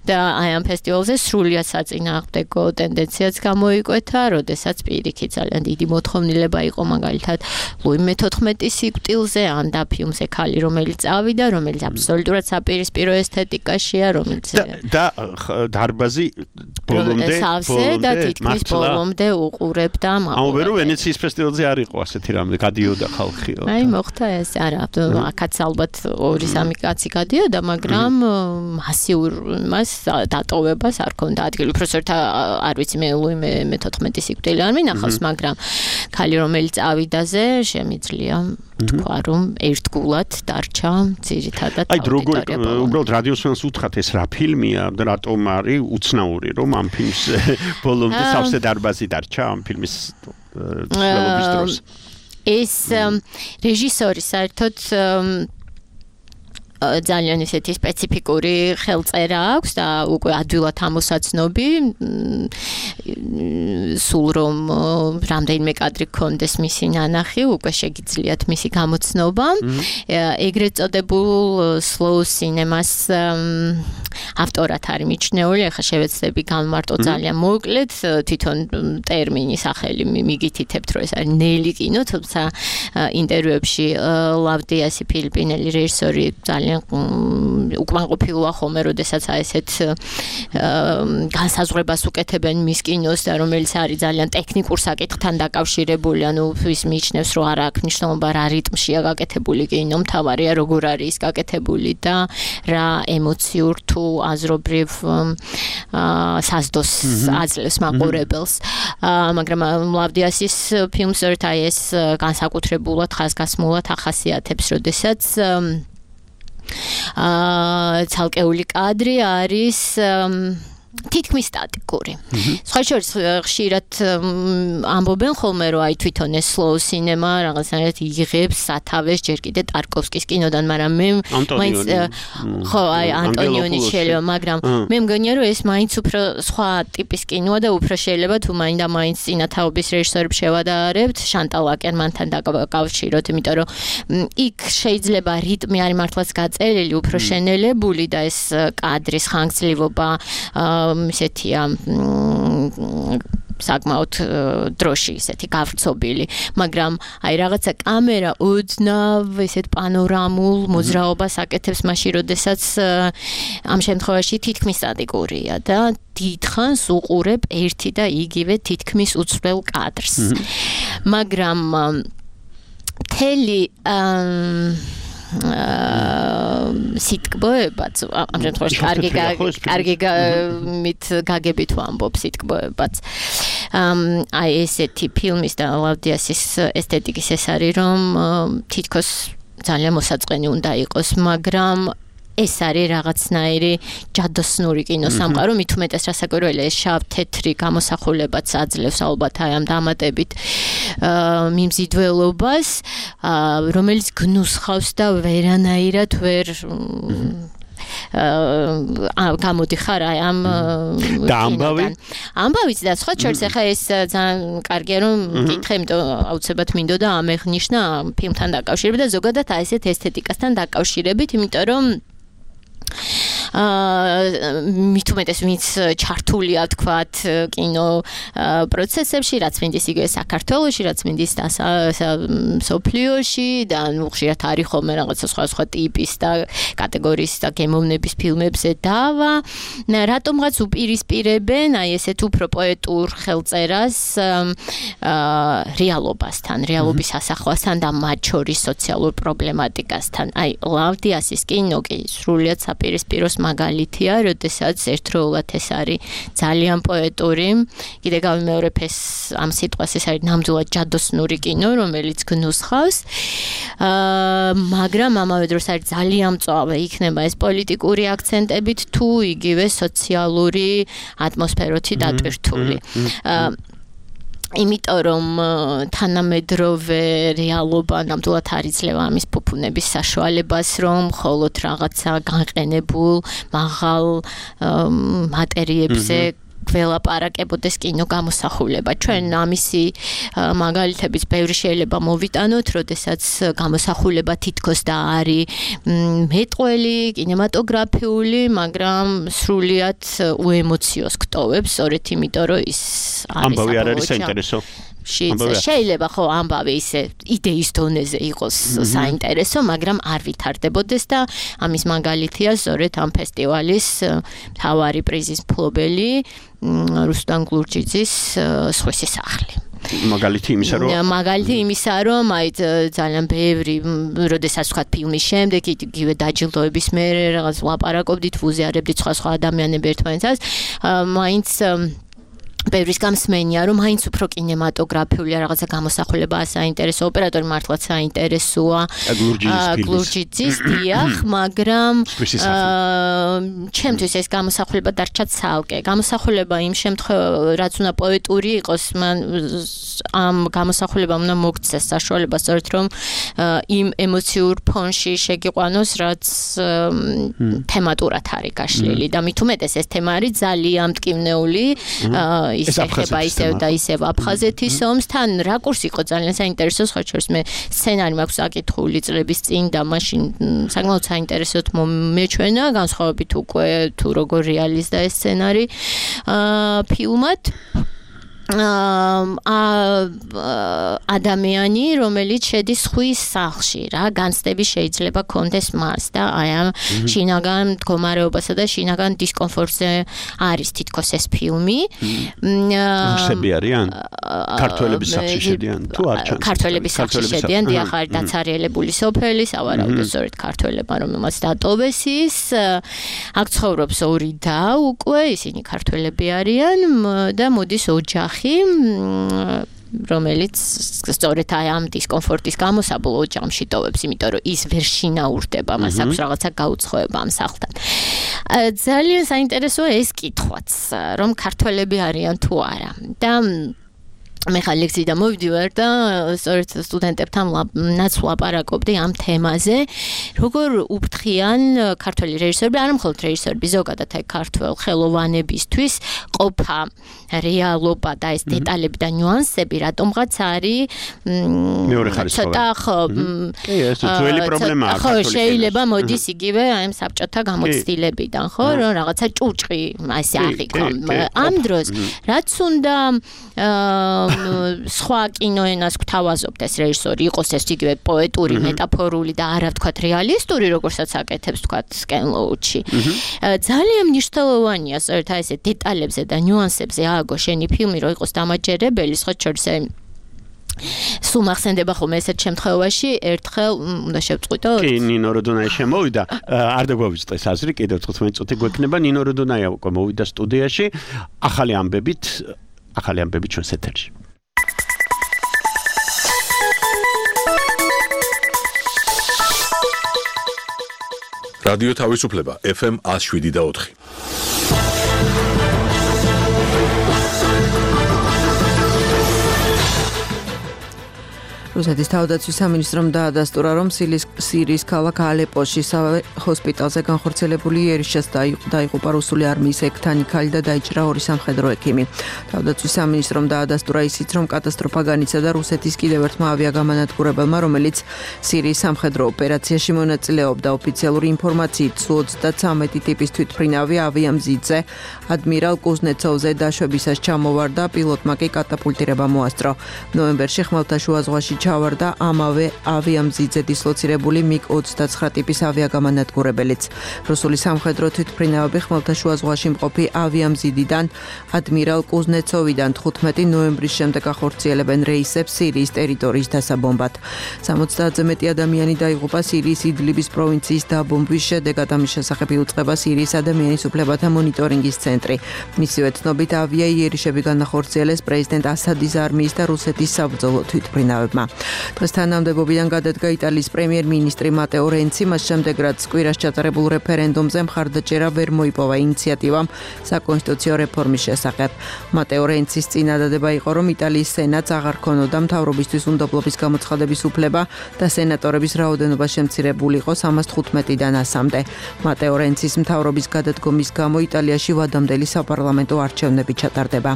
G: და აი ამ ფესტივალზე სრულიად საწინააღმდეგო ტენდენციაც გამოიკვეთა, როდესაც პირიქით ძალიან დიდი მოთხოვნილება იყო მაგალითად ლუი მეთოთხმეტი სიკვდილზე, ან და ფილმზე ქალი, რომელიც წავიდა, რომელიც აბსოლუტურად საპირისპირო ესთეტიკაშია, რომელიც
D: და დარბაზი ბოლომდე
G: ბოლომდე და თითქმის ბოლომდე უყურებდა მაგალითად.
D: აუ ვერო ვენეციის ფესტივალზე არ იყო ასეთი რამე, გადიოდა ხალხი.
G: აი მოხდა ეს არა, აქაც ალბათ ორი სამი კაცი გადიოდა, მაგრამ მასიურ მას დატოვებას არ ქონდა ადგილი. უბრალოდ არ ვიცი მე ლუი მეთოთხმეტი სიკვდილი არ მინახავს, მაგრამ ქალი რომელიც ავიდაზე შემიძლია თქვა რომ ერთგულად დარჩა ძირითადად
D: აი როგორ უბრალოდ რადიოსვენს უთხრათ ეს რა ფილმია და რატომ არის უცნაური რომ ამ ფილმს ბოლომდე სავსე დარბაზი დარჩა ამ ფილმის ცვლილების დროს
G: ეს რეჟისორი საერთოდ ძალიან ისეთი სპეციფიკური ხელწერა აქვს და უკვე ადვილად ამოსაცნობი სულ რომ რამდენიმე კადრი გქონდეს მისი ნანახი უკვე შეგიძლიათ მისი გამოცნობა ეგრეთ წოდებულ slow cinemas ავტორად არის მიჩნეული ახლა შევეცდები განმარტო ძალიან მოკლედ თვითონ ტერმინი სახელი მიგითითებთ რომ ეს არის ნელი კინო თუმცა ინტერვიუებში ლავდიასი ფილიპინელი რეჟისორი ძალიან უკმაყოფილოა ხოლმე, როდესაც ესეთ განსაზღვრებას უკეთებენ მის კინოს და რომელიც არის ძალიან ტექნიკურ საკითხთან დაკავშირებული, ანუ ის მიიჩნევს, რომ არ აქვს მნიშვნელობა რა რიტმშია გაკეთებული კინო, მთავარია როგორ არის ის გაკეთებული და რა ემოციურ თუ აზრობრივ საზდოს აძლევს მაყურებელს. მაგრამ ლავდიასის ფილმს ერთ აი ეს განსაკუთრებულად ხაზგასმულად ახასიათებს, როდესაც აა ცალკეული კადრი არის თითქმის სტატიკური. სხვა შორის ხშირად ამბობენ ხოლმე რომ აი თვითონ ეს slow cinema რაღაცნაირად იღებს სათავეს ჯერ კიდე ტარკოვსკის კინოდან, მაგრამ მე მაინც ხო აი ანტონიონი შეიძლება, მაგრამ მე მგონია რომ ეს მაინც უფრო სხვა ტიპის კინოა და უფრო შეიძლება თუ მაინდა მაინც წინათაობის რეჟისორებს შევადარებთ შანტალ აკერმანთან დაკავშიროთ, იმიტომ რომ იქ შეიძლება რიტმი არის მართლაც გაწერილი, უფრო შენელებული და ეს კადრის ხანგრძლივობა ისეთია საკმაოდ დროში ისეთი გავრცობილი, მაგრამ აი რაღაცა კამერა ოდნავ ისეთ პანორამულ მოძრაობას აკეთებს მაშინ, როდესაც ამ შემთხვევაში თითქმის სტატიკურია და დიდხანს უყურებ ერთი და იგივე თითქმის უცვლელ კადრს. მაგრამ მთელი სიტკბოებაც ამ შემთხვევაში კარგი კარგი მით გაგებით ვამბობ სიტკბოებაც აი ესეთი ფილმის და ლავდიასის ესთეტიკის ეს არის რომ თითქოს ძალიან მოსაწყენი უნდა იყოს, მაგრამ ეს არის რაღაცნაირი ჯადოსნური კინოსამყარო, მით უმეტეს რასაკვირველია ეს შავ-თეთრი გამოსახულებაც აძლევს ალბათ აი ამ დამატებით მიმზიდველობას, რომელიც გნუსხავს და ვერანაირად ვერ გამოდიხარ აი ამ
D: და ამბავი
G: ამბავიც და სხვა შორის ახლა ეს ძალიან კარგია რომ მკითხე, იმიტომ აუცილებლად მინდოდა ამეღნიშნა ფილმთან დაკავშირებით და ზოგადად აი ესეთ ესთეტიკასთან დაკავშირებით, იმიტომ რომ მით უმეტეს ვინც ჩართულია თქვათ კინო პროცესებში, რაც მინდის იგივე საქართველოში, რაც მინდის სოფლიოში და ნუ ხშირად არის ხოლმე რაღაცა სხვა სხვა ტიპის და კატეგორიის და გემოვნების ფილმებზე დავა. რატომღაც უპირისპირებენ აი ესეთ უფრო პოეტურ ხელწერას რეალობასთან, რეალობის ასახვასთან და მათ შორის სოციალურ პრობლემატიკასთან. აი ლავდიასის კინო კი სრულიად საპირისპიროს მაგალითია, როდესაც ერთდროულად ეს არის ძალიან პოეტური. კიდე გავიმეორებ ეს ამ სიტყვას, ეს არის ნამდვილად ჯადოსნური კინო, რომელიც გნუსხავს. აა მაგრამ ამავე დროს არის ძალიან მწვავე იქნება ეს პოლიტიკური აქცენტებით თუ იგივე სოციალური ატმოსფეროთი დატვირთული. აა იმიტომ რომ თანამედროვე რეალობა ნამდვილად არ იძლევა ამის ფუფუნების საშუალებას, რომ მხოლოდ რაღაცა განყენებულ მაღალ მატერიებზე გველაპარაკებოდეს კინო გამოსახულება. ჩვენ ამისი მაგალითების ბევრი შეიძლება მოვიტანოთ, როდესაც გამოსახულება თითქოს და არის მეტყველი, კინემატოგრაფიული, მაგრამ სრულიად უემოციოს გტოვებს, სწორედ იმიტომ რომ ის არის
D: ამბავი არ არის საინტერესო.
G: შეიძლება ხო ამბავი ისე იდეის დონეზე იყოს საინტერესო, მაგრამ არ ვითარდებოდეს და ამის მაგალითია სწორედ ამ ფესტივალის მთავარი პრიზის მფლობელი რუსტან გლურჯიძის სხვისი სახლი.
D: მაგალითი იმისა რომ
G: მაგალითი იმისა რომ აი ძალიან ბევრი როდესაც ვთქვათ ფილმის შემდეგ იგივე დაჯილდოების მერე რაღაც ლაპარაკობდით, ვუზიარებდით სხვა სხვა ადამიანები ერთმანეთს, მაინც ბევრის გამსმენია რომ მაინც უფრო კინემატოგრაფიული რაღაცა გამოსახულება საინტერესო, ოპერატორი მართლაც საინტერესოა გლურჯიძის დიახ, მაგრამ ჩემთვის ეს გამოსახულება დარჩა ცალკე. გამოსახულება იმ შემთხვევაში, რაც უნდა პოეტური იყოს, მან ამ გამოსახულებამ უნდა მოგცეს საშუალება სწორედ რომ იმ ემოციურ ფონში შეგიყვანოს, რაც თემატურად არის გაშლილი და მით უმეტეს ეს თემა არის ძალიან მტკივნეული. ის ეხება ისევ და ისევ აფხაზეთის ომს, თან რაკურსი იყო ძალიან საინტერესო, სხვა შორის მე სცენარი მაქვს აკითხული წლების წინ და მაშინ საკმაოდ საინტერესოდ მომეჩვენა, განსხვავებით უკვე თუ როგორ რეალიზდა ეს სცენარი ფილმად. ადამიანი, რომელიც შედის ხვის სახლში, რა განცდები შეიძლება კონდეს მას და აი ამ შინაგან მდგომარეობასა და შინაგან დისკომფორტზე არის თითქოს ეს ფილმი.
D: რუსები არიან? ქართველების სახლში შედიან თუ არ ჩანს?
G: ქართველების სახლში შედიან, დიახ, არის დაცარიელებული სოფელი, სავარაუდოდ სწორედ ქართველებმა, რომელმაც დატოვეს ის. აქ ცხოვრობს ორი და უკვე ისინი ქართველები არიან და მოდის ოჯახი რომელიც სწორედ აი ამ დისკომფორტის გამო საბოლოო ოჯახში ტოვებს, იმიტომ რომ ის ვერ შინაურდება, მას აქვს რაღაცა გაუცხოება ამ სახლთან. ძალიან საინტერესოა ეს კითხვაც, რომ ქართველები არიან თუ არა. და მე ხა ლექციიდან მოვიდივარ და სწორედ სტუდენტებთან ნაც ვლაპარაკობდი ამ თემაზე, როგორ უფრთხიან ქართველი რეჟისორები, არა მხოლოდ რეჟისორები, ზოგადად აი ქართველ ხელოვანებისთვის ყოფა რეალობა და ეს დეტალები და ნიუანსები რატომღაც არის
D: მეორე ხარისხოვანი.
G: ცოტა ხო
D: კი, ეს ძველი პრობლემაა
G: ხო, შეიძლება მოდის იგივე აი ამ საბჭოთა გამოცდილებიდან, ხო, რომ რაღაცა ჭუჭყი ასე აღიქვა. ამ დროს რაც უნდა სხვა კინოენას გვთავაზობთ ეს რეჟისორი იყოს ეს იგივე პოეტური, მეტაფორული და არა ვთქვათ რეალისტური, როგორცაც აკეთებს ვთქვათ სკენლოუჩი. ძალიან მნიშვნელოვანია სწორედ აი ესე დეტალებზე და ნიუანსებზე ააგო შენი ფილმი, რომ იყოს დამაჯერებელი, სხვა შორის სულ მახსენდება ხოლმე ესეთ შემთხვევაში ერთხელ უნდა შევწყვიტო.
D: კი, ნინო როდონაი შემოვიდა, არ დაგვავიწყდეს აზრი, კიდევ თხუთმეტი წუთი გვექნება, ნინო როდონაი უკვე მოვიდა სტუდიაში, ახალი ამბებით, ახალი ამბებით ჩვენს ეთერში.
A: რადიო თავისუფლება ეფ ემ one oh seven და four.
H: რუსეთის თავდაცვის სამინისტრომ დაადასტურა, რომ სირიის ქალაქ ალეპოში ჰოსპიტალზე განხორციელებული იერიშას დაიღუპა რუსული არმიის ექთანი ქალი და დაიჭრა ორი სამხედრო ექიმი. თავდაცვის სამინისტრომ დაადასტურა ისიც, რომ კატასტროფა განიცადა რუსეთის კიდევ ერთმა ავიაგამანადგურებელმა, რომელიც სირიის სამხედრო ოპერაციაში მონაწილეობდა. ოფიციალური ინფორმაციით, სუ ოცდათვრამეტი ტიპის თვითმფრინავი ავიამზიდზე ადმირალ კუზნეცოვზე დაშვებისას ჩამოვარდა, პილოტმა კი კატაპულტირება მოასწრო. ნოემბერში ხმელთაშუა ზღვაში ჩავარდა ამავე ავიამზიდზე დისლოცირებული მიგ ოცდაცხრა ტიპის ავიაგამანადგურებელიც. რუსული სამხედრო თვითმფრინავები ხმელთაშუა ზღვაში მყოფი ავიამზიდიდან ადმირალ კუზნეცოვიდან თხუთმეტი ნოემბრის შემდეგ ახორციელებენ რეისებს სირიის ტერიტორიის დასაბომბად. სამოცდაათზე მეტი ადამიანი დაიღუპა სირიის იდლიბის პროვინციის დაბომბვის შედეგად. ამის შესახებ იუწყება სირიის ადამიანის უფლებათა მონიტორინგის ცენტრი. მისივე ცნობით, ავია იერიშები განახორციელეს პრეზიდენტ ასადის არმიის და რუსეთის საბრძოლო თვითმფრინავებმა. დღეს თანამდებობიდან გადადგა იტალიის პრემიერ-მინისტრი მატეო რენცი, მას შემდეგ რაც კვირას ჩატარებულ რეფერენდუმზე მხარდაჭერა ვერ მოიპოვა ინიციატივამ საკონსტიტუციო რეფორმის შესახებ. მატეო რენცის წინადადება იყო, რომ იტალიის სენატს აღარ ქონოდა მთავრობისთვის უნდობლობის გამოცხადების უფლება და სენატორების რაოდენობა შემცირებულიყო სამას თხუთმეტიდან ასამდე. მატეო რენცის მთავრობის გადადგომის გამო იტალიაში ვადამდელი საპარლამენტო არჩევნები ჩატარდება.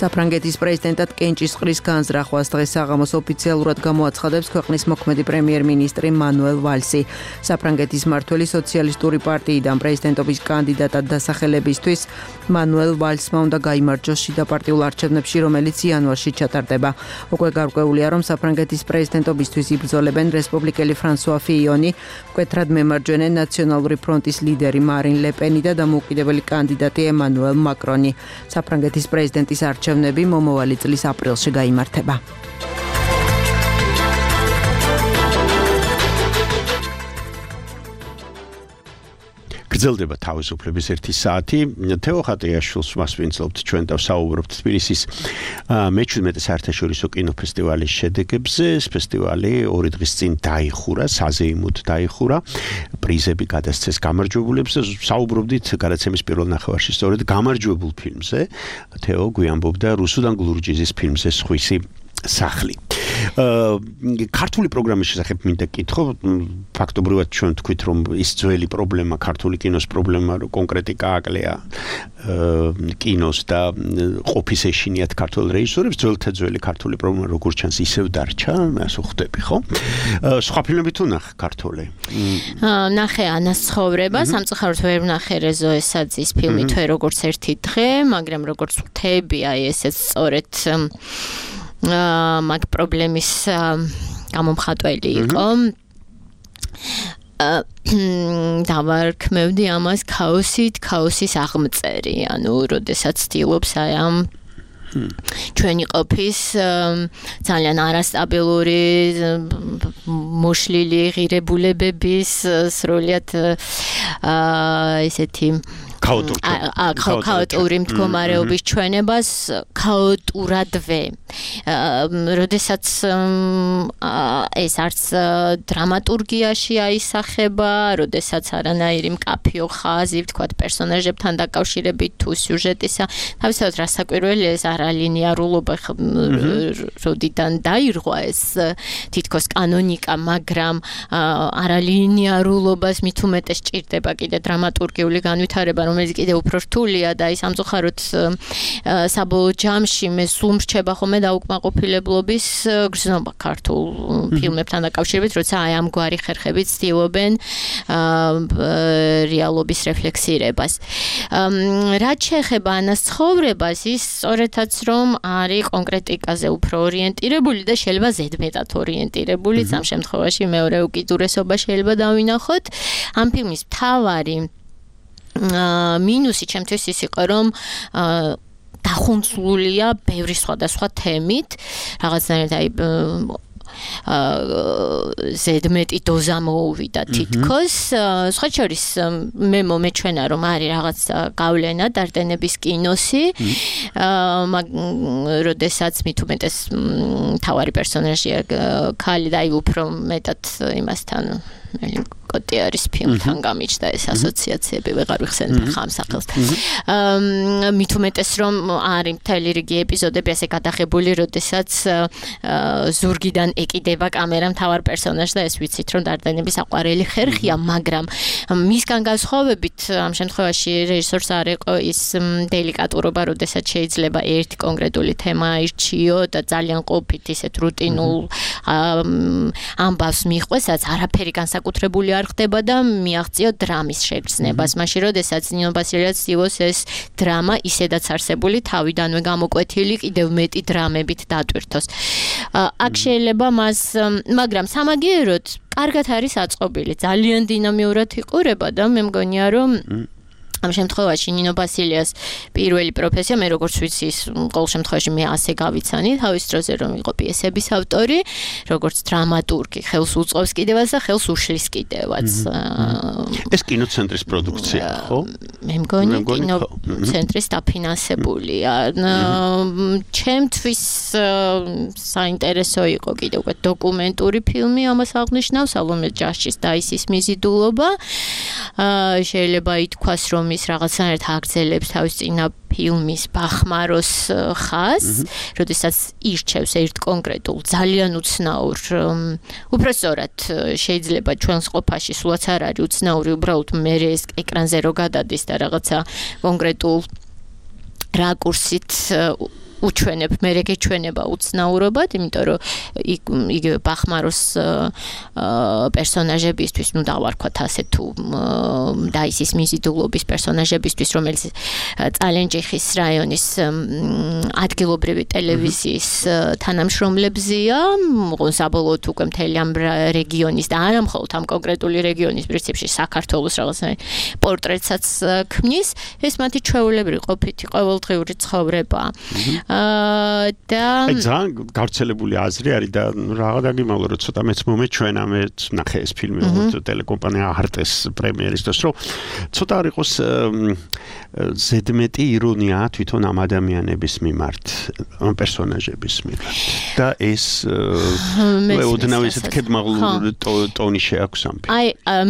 H: საფრანგეთის პრეზიდენტად კენჭისყრის განზრახვას დღეს საღამოს ოფიციალურად გამოაცხადებს ქვეყნის მოქმედი პრემიერ-მინისტრი მანუელ ვალსი. საფრანგეთის მმართველი სოციალისტური პარტიიდან პრეზიდენტობის კანდიდატად დასახელებისთვის მანუელ ვალსმა უნდა გაიმარჯვოს შიდა პარტიულ არჩევნებში, რომელიც იანვარში ჩატარდება. უკვე გარკვეულია, რომ საფრანგეთის პრეზიდენტობისთვის იბრძოლებენ რესპუბლიკელი ფრანსუა ფიიონი, მკვეთრად მემარჯვენე ნაციონალური ფრონტის ლიდერი მარინ ლე პენი და დამოუკიდებელი კანდიდატი ემანუელ მაკრონი. საფრანგეთის პრეზიდენტის არჩევნები მომავალი წლის აპრილში გაიმართება.
D: გრძელდება თავისუფლების ერთი საათი. თეო ხატიაშვილს მასვინძლობთ ჩვენ და ვსაუბრობთ თბილისის მეჩვიდმეტე საერთაშორისო კინოფესტივალის შედეგებზე. ეს ფესტივალი ორი დღის წინ დაიხურა, საზეიმოდ დაიხურა. პრიზები გადასცეს გამარჯვებულებს და ვსაუბრობდით გადაცემის პირველ ნახევარში სწორედ გამარჯვებულ ფილმზე. თეო გვიამბობდა რუსუდან გლურჯიზის ფილმზე სხვისი სახლი. ქართული პროგრამის შესახებ მინდა კითხო, ფაქტობრივად ჩვენ თქვით, რომ ის ძველი პრობლემა, ქართული კინოს პრობლემა, რომ კონკრეტიკა აკლია კინოს და ყოფის ეშინიათ ქართულ რეჟისორებს, ძველთა ძველი ქართული პრობლემა როგორც ჩანს ისევ დარჩა, ასე ხვდები, ხო? სხვა ფილმები თუ ნახე ქართული?
G: ნახე ანას ცხოვრება, სამწუხაროდ ვერ ვნახე რეზო ესაძის ფილმი თვე როგორც ერთი დღე, მაგრამ როგორც ვთები, აი ესეც სწორედ მაგ პრობლემის გამომხატველი იყო. დავარქმევდი ამას ქაოსით, ქაოსის აღმწერი, ანუ როდესაც ცდილობს აი ამ ჩვენი ყოფის ძალიან არასტაბილური მოშლილი ღირებულებების სრულად ესეთი ქაოტური მდგომარეობის ჩვენებას ქაოტურადვე. როდესაც ეს არც დრამატურგიაში აისახება, როდესაც არანაირი მკაფიო ხაზი, ვთქვათ, პერსონაჟებთან დაკავშირებით თუ სიუჟეტისა, თავისთავად რასაკვირველია ეს არალინიარულობა, როდიდან დაირღვა ეს თითქოს კანონიკა, მაგრამ არალინიარულობას მით უმეტეს ჭირდება კიდე დრამატურგიული განვითარება, რომელიც კიდე უფრო რთულია და ის ამწუხაროდ საბოლოო ჯამში მე სულ მრჩება ხოლმე დაუკმაყოფილებლობის გრძნობა ქართულ ფილმებთან დაკავშირებით, როცა აი ამგვარი ხერხებით ცდილობენ რეალობის რეფლექსირებას. რაც შეეხება ანას ცხოვრებას, ის სწორედაც რომ არის კონკრეტიკაზე უფრო ორიენტირებული და შეიძლება ზედმეტად ორიენტირებული, ამ შემთხვევაში მეორე უკიდურესობა შეიძლება დავინახოთ. ამ ფილმის მთავარი მინუსი ჩემთვის ის იყო, რომ დახუნცლულია ბევრი სხვადასხვა თემით, რაღაცნაირად აი ზედმეტი დოზა მოუვიდა თითქოს. სხვა შორის მე მომეჩვენა, რომ არის რაღაც გავლენა დარდენების კინოსი, როდესაც მით უმეტეს მთავარი პერსონაჟია ქალი და აი უფრო მეტად იმასთან ბოიკოტი არის ფილმთან გამიჩნდა ეს ასოციაციები ვეღარ ვიხსენებ ხამ სახელს. მით უმეტეს რომ არის მთელი რიგი ეპიზოდები ასე გადაღებული, როდესაც ზურგიდან ეკიდება კამერა მთავარ პერსონაჟს და ეს ვიცით რომ დარდენების აყვარელი ხერხია, მაგრამ მისგან განსხვავებით ამ შემთხვევაში რეჟისორს არ იყო ის დელიკატურობა, როდესაც შეიძლება ერთი კონკრეტული თემა აირჩიო და ძალიან ყოფით ისეთ რუტინულ ამბავს მიხვესაც არაფერი განსაკუთრებული არ ხდება და მიაღწიო დრამის შეგრძნებას. მაშინ როდესაც ნინო ბასილიას ცივოს ეს დრამა ისედაც არსებული თავიდანვე გამოკვეთილი კიდევ მეტი დრამებით დატვირთოს. აქ შეიძლება მას, მაგრამ სამაგიეროდ კარგად არის აწყობილი, ძალიან დინამიურად იყურება და მე მგონია რომ ამ შემთხვევაში ნინო ბასილიას პირველი პროფესია, მე როგორც ვიცი, ყოველ შემთხვევაში მე ასე გავიცანი თავის დროზე რომ იყო პიესების ავტორი, როგორც დრამატურგი, ხელს უწყობს კიდევაც და ხელს უშლის კიდევაც.
D: ეს კინოცენტრის პროდუქცია, ხო?
G: მე მგონი კინოცენტრის დაფინანსებულია. ჩემთვის საინტერესო იყო კიდევ უკვე დოკუმენტური ფილმი ამას აღნიშნავს, სალომე ჯაშის დაისის მიზიდულობა. შეიძლება ითქვას რომ ის რაღაცნაირად აგრძელებს თავის წინა ფილმის ბახმაროს ხაზს, როდესაც ირჩევს ერთ კონკრეტულ ძალიან უცნაურ, უფრო სწორად შეიძლება ჩვენს ყოფაში სულაც არ არის უცნაური, უბრალოდ მე ეს ეკრანზე რო გადადის და რაღაცა კონკრეტულ რაკურსით უჩვენებ, მე რეგეჩვენება უცნაურობად, იმიტომ რომ იგივე ბახმაროს პერსონაჟებისთვის, ნუ დავარქვათ ასე თუ დაისის მიზიდულობის პერსონაჟებისთვის, რომელიც წალენჯიხის რაიონის ადგილობრივი ტელევიზიის თანამშრომლებზია, საბოლოოდ უკვე მთელი ამ რეგიონის და არა მხოლოდ ამ კონკრეტული რეგიონის პრინციპში საქართველოს რაღაცნაირ პორტრეტსაც ქმნის, ეს მათი ჩვეულებრივი ყოფითი ყოველდღიური ცხოვრება. და
D: აი ძალიან გავრცელებული აზრი არის და რაღა დაგიმალო რომ ცოტა მეც მომეჩვენა, მე ნახე ეს ფილმი ტელეკომპანია არტეს პრემიერის დროს, რომ ცოტა არ იყოს ზედმეტი ირონია თვითონ ამ ადამიანების მიმართ, ამ პერსონაჟების მიმართ და ეს მე ოდნავ ისეთ კედმაღლურ ტონი შეაქვს ამ ფილმს.
G: აი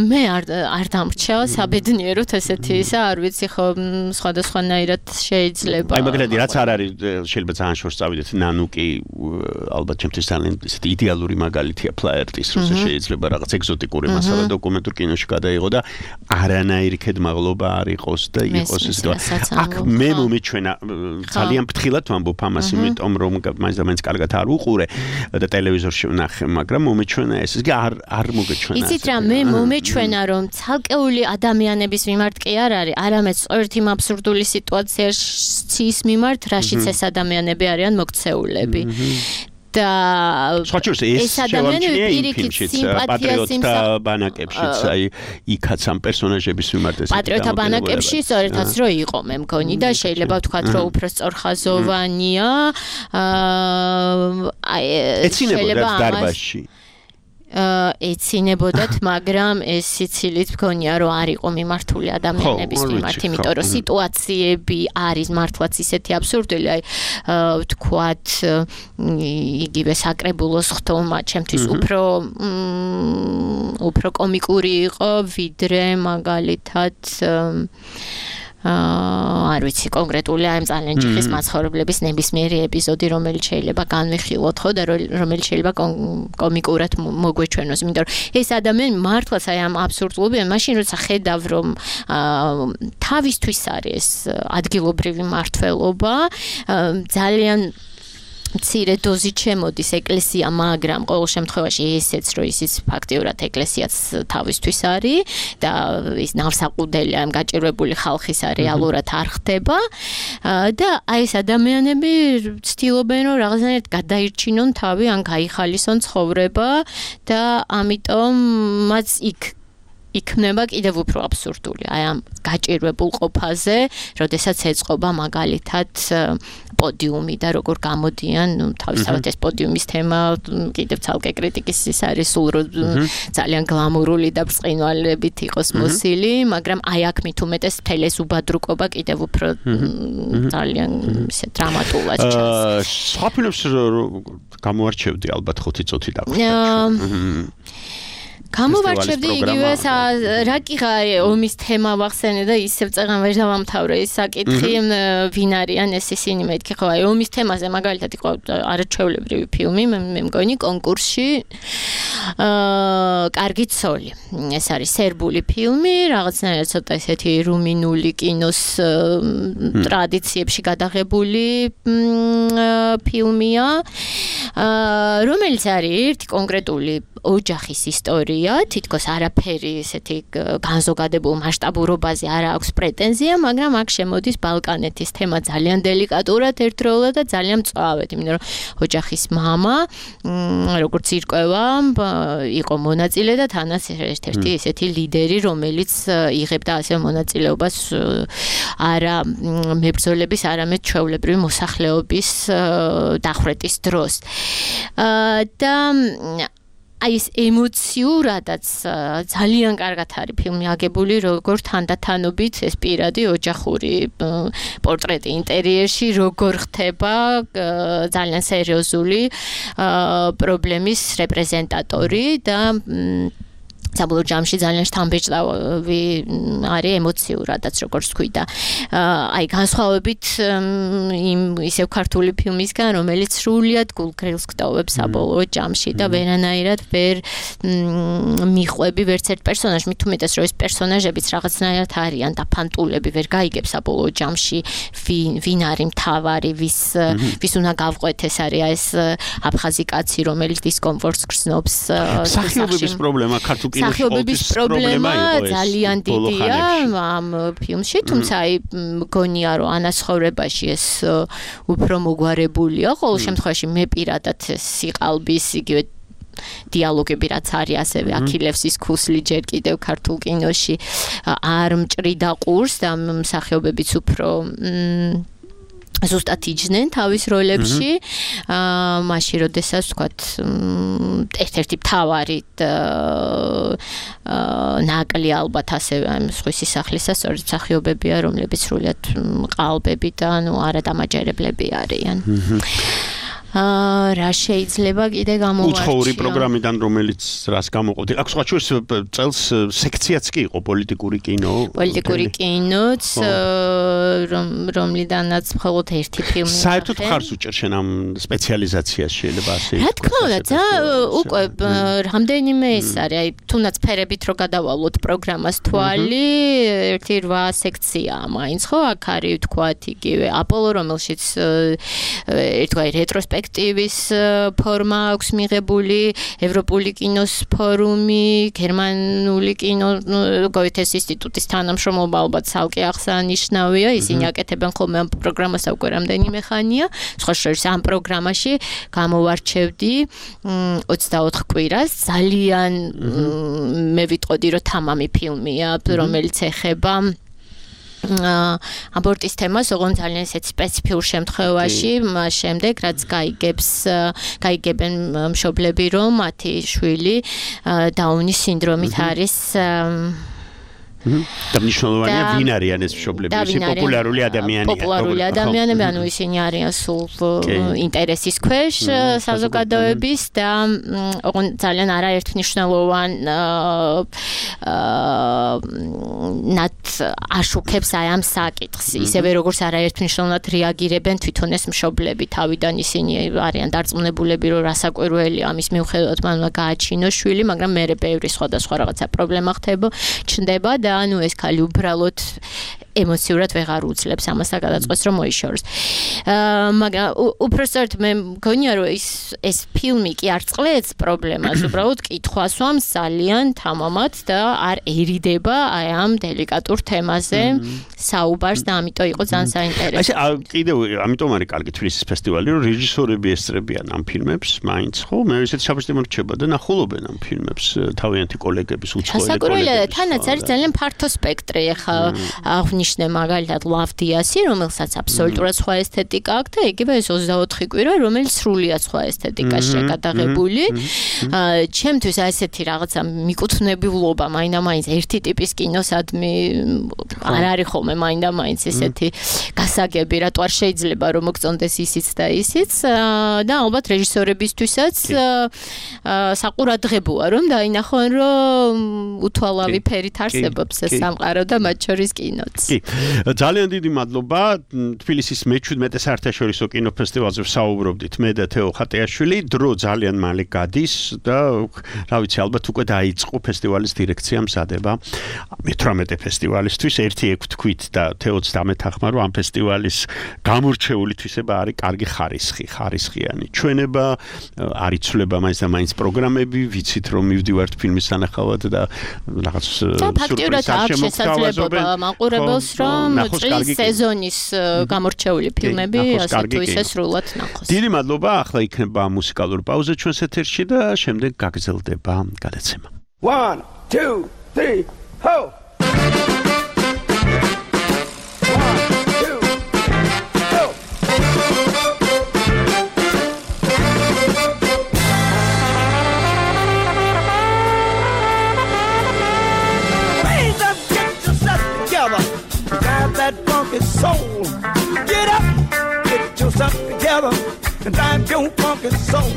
G: მე არ არ დამრჩა საბედნიეროდ ესეთი ისა, არ ვიცი ხო სხვადასხვანაირად შეიძლება.
D: აი მაგალითად რაც არ არის შეიძლება ძალიან შორს წავიდეთ, ნანუკი ალბათ ჩემთვის ძალიან ისეთი იდეალური მაგალითია ფლაერტის, როცა შეიძლება რაღაც ეგზოტიკური მასალა დოკუმენტურ კინოში გადაიღო და არანაირი კედმაღლობა არ იყოს და იყოს ეს და აქ მე მომეჩვენა ძალიან ფრთხილად ვამბობ ამას, იმიტომ რომ მაინც და მაინც კარგად არ უყურე და ტელევიზორში ვნახე, მაგრამ მომეჩვენა ეს ის არ არ მოგეჩვენა.
G: იცით რა, მე მომეჩვენა რომ ცალკეული ადამიანების მიმართ კი არ არის, არამედ სწორედ იმ აბსურდული სიტუაციის მიმართ, რაშიც ეს ადამიანები არიან მოქცეულები. და
D: ეს ადამიანები პირიქით პატრიოტთა ბანაკებშიც, აი იქაც ამ პერსონაჟების მიმართ ეს
G: პატრიოტთა ბანაკებში სწორედაც რო იყო, მე მგონი და შეიძლება ვთქვათ რომ უფრო სწორხაზოვანია. აი
D: ეცინებოდა დარბაზში
G: ეცინებოდათ, მაგრამ ეს სიცილით მგონია რომ არ იყო მიმართული ადამიანების მიმართ, იმიტომ რომ სიტუაციები არის მართლაც ისეთი აბსურდული, აი ვთქვათ იგივე საკრებულოს ხტომა ჩემთვის უფრო უფრო კომიკური იყო, ვიდრე მაგალითად არ ვიცი კონკრეტული ამ წალენჯიხის მაცხოვრებლების ნებისმიერი ეპიზოდი, რომელიც შეიძლება განვიხილოთ ხო და რომელიც შეიძლება კომიკურად მოგვეჩვენოს, იმიტომ რომ ეს ადამიანი მართლაც აი ამ აბსურდულობიდან მაშინ როცა ხედავ რომ თავისთვის არის ადგილობრივი მართველობა, ძალიან მცირე დოზით შემოდის ეკლესია, მაგრამ ყოველ შემთხვევაში ესეც რომ ისიც ფაქტიურად ეკლესიაც თავისთვის არის და ის ნავსაყუდელი ამ გაჭირვებული ხალხის რეალურად არ ხდება და აი ეს ადამიანები ცდილობენ რომ რაღაცნაირად გადაირჩინონ თავი, ან გაიხალისონ ცხოვრება და ამიტომ მას იქ იქნება კიდევ უფრო აბსურდული აი ამ გაჭირვებულ ყოფაზე, როდესაც ეწყობა მაგალითად პოდიუმი და როგორ გამოდიან, ნუ თავისთავად ეს პოდიუმის თემა კიდევ ცალკე კრიტიკის ის არის სულ ძალიან გლამურული და ბრწყინვალებით იყოს მოსილი, მაგრამ აი აქ მით უმეტეს მთელი ეს უბადრუკობა კიდევ უფრო ძალიან ისე დრამატულად ჩანს.
D: სხვა ფილმებს გამოარჩევდი ალბათ ხუთი წუთი დაგვიწყდა.
G: გამოვარჩევდი იგივე რა კიღა ომის თემა ვახსენე და ისევ წეღან ვერ დავამთავრე ის საკითხი ვინ არიან ეს ისინი მეთქი ხო აი ომის თემაზე მაგალითად იყო არაჩვეულებრივი ფილმი მე მგონი კონკურსში აა კარგი ცოლი ეს არის სერბული ფილმი რაღაცნაირად ცოტა ესეთი რუმინული კინოს ტრადიციებში გადაღებული ფილმია რომელიც არის ერთი კონკრეტული ოჯახის ისტორია, თითქოს არაფერი ესეთი განზოგადებულ მასშტაბურობაზე არ აქვს პრეტენზია, მაგრამ აქ შემოდის ბალკანეთის თემა ძალიან დელიკატურად ერთდროულად და ძალიან მწვავედ, იმიტომ რომ ოჯახის მამა, როგორც ირკვევა, იყო მონაწილე და თანაც ერთ-ერთი ესეთი ლიდერი, რომელიც იღებდა ასე მონაწილეობას არა მებრძოლების, არამედ ჩვეულებრივი მოსახლეობის დახვრეტის დროს. და აი ეს ემოციურადაც ძალიან კარგად არის ფილმი აგებული როგორ თანდათანობით ეს პირადი ოჯახური პორტრეტი ინტერიერში როგორ ხდება ძალიან სერიოზული პრობლემის რეპრეზენტატორი და საბოლოო ჯამში ძალიან შთამბეჭდავი არის ემოციურადაც როგორც თქვი და აი განსხვავებით იმ ისევ ქართული ფილმისგან რომელიც სრულიად გულგრილს გტოვებს საბოლოო ჯამში და ვერანაირად ვერ მიხვები ვერც ერთ პერსონაჟს მით უმეტეს რომ ეს პერსონაჟებიც რაღაცნაირად არიან და ფანტულები ვერ გაიგებს საბოლოო ჯამში ვინ ვინ არის მთავარი ვის ვის უნდა გავყვეთ ეს არის ეს აფხაზი კაცი რომელიც დისკომფორტს გრძნობს
D: სახიობების პრობლემა ქართულ
G: სახიობების პრობლემა ძალიან დიდია ამ ფილმში, თუმცა აი მგონია რომ ანაცხოვრებაში ეს უფრო მოგვარებულია, ყოველ შემთხვევაში მე პირადად სიყალბის იგივე დიალოგები რაც არის ასევე აქილევსის ქუსლი ჯერ კიდევ ქართულ კინოში არ მჭრიდა ყურს და მსახიობებიც უფრო ზუსტად იჯნენ თავის როლებში აა მაშინ როდესაც ვთქვათ ერთ-ერთი მთავარი აა ნაკლი ალბათ ასევე ამ სხვისი სახლისა სწორედ მსახიობებია რომლებიც სრულიად ყალბები და ნუ არადამაჯერებლები არიან აა რა შეიძლება კიდე გამოვარჩიო
D: უცხოური პროგრამიდან რომელიც რას გამოყოფდი აქ სხვა ჩვენს წელს სექციაც კი იყო პოლიტიკური კინო
G: პოლიტიკური კინოც რომლიდანაც მხოლოდ ერთი ფილმი
D: საერთოდ ხარს უჭერ შენ ამ სპეციალიზაციას შეიძლება ასე
G: რა თქმა უნდა უკვე რამდენიმე ის არის აი თუნდაც ფერებით რო გადავალოთ პროგრამას თვალი ერთი რვა სექციაა მაინც ხო აქ არის ვთქვათ იგივე აპოლო რომელშიც ერთგვარი რეტროსპექტივა აქტივის ფორმა აქვს მიღებული ევროპული კინოს ფორუმი, გერმანული კინო გოეთეს ინსტიტუტის თანამშრომლობა ალბათ ცალკე აღსანიშნავია, ისინი აკეთებენ ხოლმე ამ პროგრამას უკვე რამდენიმე ხანია. სხვა შორის ამ პროგრამაში გამოვარჩევდი ოცდაოთხ კვირას, ძალიან მე ვიტყოდი რომ თამამი ფილმია, რომელიც ეხება აბორტის თემას, ოღონდ ძალიან ისეთ სპეციფიურ შემთხვევაში, მას შემდეგ რაც გაიგებს, გაიგებენ მშობლები, რომ მათი შვილი დაუნის სინდრომით არის
D: და მნიშვნელოვანია ვინ არიან ეს მშობლები, ეს პოპულარული ადამიანია.
G: პოპულარული ადამიანები, ანუ ისინი არიან სულ ინტერესის ქვეშ საზოგადოების და ოღონდ ძალიან არაერთმნიშვნელოვან ნათ აშუქებს აი ამ საკითხს. ისევე როგორც არაერთმმნიშვნელოვნად რეაგირებენ თვითონ ეს მშობლები, თავიდან ისინი არიან დარწმუნებულები, რომ რასაკვირველია ამის მიუხედავად მან უნდა გააჩინოს შვილი, მაგრამ მერე ბევრი სხვადასხვა რაღაცა პრობლემა ხდება, ჩნდება და ანუ ეს ქალი უბრალოდ ემოციურად ვეღარ უძლებს ამას და გადაწყვეტს რომ მოიშოროს. აა მაგრამ უბრალოდ მე მგონია რომ ეს ეს ფილმი კი არ წყლեց პრობლემას, უბრალოდ კითხვას ვამს ძალიან თამამად და არ ერიდება აი ამ დელიკატურ თემაზე საუბარს და ამიტომ იყო ძალიან საინტერესო.
D: აი კიდევ ამიტომ არის კარგი თბილისის ფესტივალი, რომ რეჟისორები ესწრებიან ამ φιλმებს, მაინც ხო? მე ისეთი საფასტი მორჩება და ნახულობენ ამ φιλმებს თავიანთი კოლეგების უცხოელი კოლეგები.
G: სასაკურველია, თანაც არის ძალიან ფართო სპექტრი, ახლა აღნიშნე მაგალითად Love Diaz-ი, რომელსაც აბსოლუტურად სხვა ესთეტიკა აქვს და იგივე ეს ოცდაოთხი კვირა, რომელიც სრულიად სხვა ესთეტიკაში გადაღებული. ჩემთვის ასეთი რაღაცა მიკუთვნებულობა მაინდა-მაინც ერთი ტიპის კინოსადმი არ არის ხოლმე მაინდა-მაინც ესეთი გასაგები, რატო არ შეიძლება რომ მოგწონდეს ისიც და ისიც და ალბათ რეჟისორებისთვისაც საყურადღებოა რომ დაინახონ რომ უთვალავი ფერით არსებობს ეს სამყარო და მათ შორის კინოც.
D: კი. ძალიან დიდი მადლობა თბილისის მეჩვიდმეტე საერთაშორისო კინოფესტივალზე ვსაუბრობდით მე და თეო ხატიაშვილი. დრო ძალიან მალე გადის და რა ვიცი ალბათ უკვე დაიწყო ფესტივალის დირექცია მზადება მეთვრამეტე ფესტივალისთვის. ერთი ექვ თქვით და თეოც დამეთახმა რომ ამ ფესტივალის გამორჩეული თვისება არის კარგი ხარისხი, ხარისხიანი ჩვენება, არ იცვლება მაინც და მაინც პროგრამები, ვიცით რომ მივდივართ ფილმის სანახავად და რაღაც
G: ფაქტიურად აქვს შესაძლებლობა მაყურებელს რომ წლის სეზონის გამორჩეული ფილმები ასე თუ ისე სრულად ნახოს.
D: დიდი მადლობა, ახლა იქნება მუსიკალური პაუზა ჩვენს ეთერში და შემდეგ გაგრძელდება გადაცემა.
I: one two three ho that funky soul. Get up, get yourself together, and drive your funky soul.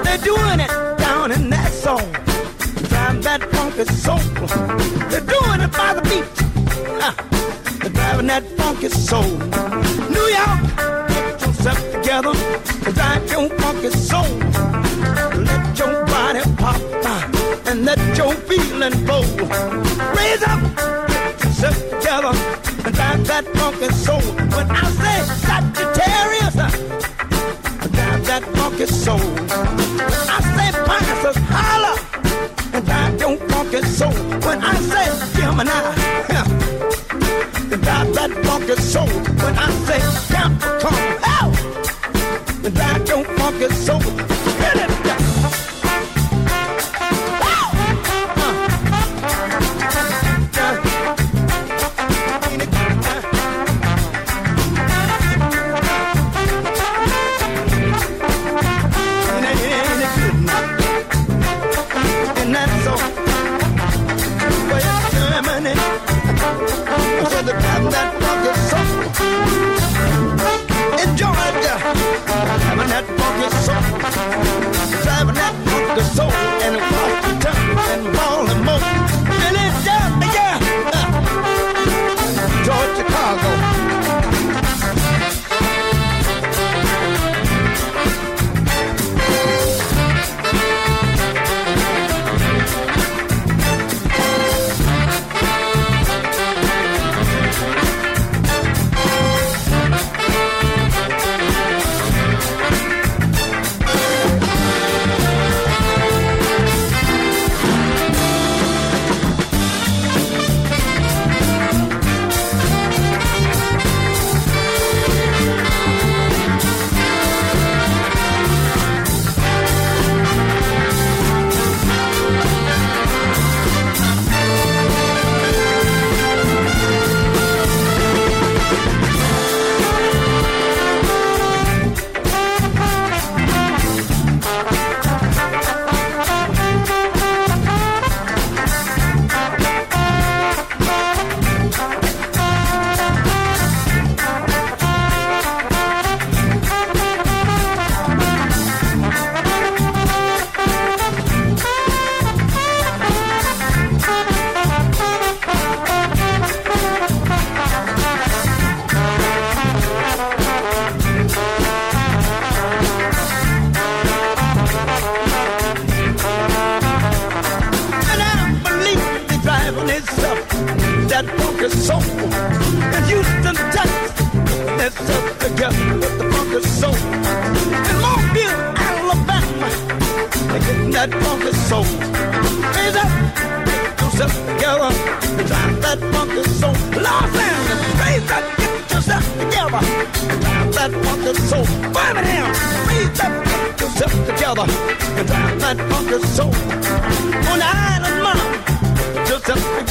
I: They're doing it down in that song. Drive that funky soul. They're doing it by the beat. Uh, they're driving that funky soul. New York, get yourself together, and drive your funky soul. Let your body pop uh, and let your feeling flow. Raise up, get yourself together. And drive that funky soul. When I say Sagittarius, drive that funky soul. When I say Pisces, holla, and drive your funky soul. When I say Gemini, drive that funky soul. When I say Capricorn, hell, drive your funky soul. Hit it down. Driving that funky soul and Washington and Baltimore, Philadelphia, uh, Georgia, Chicago.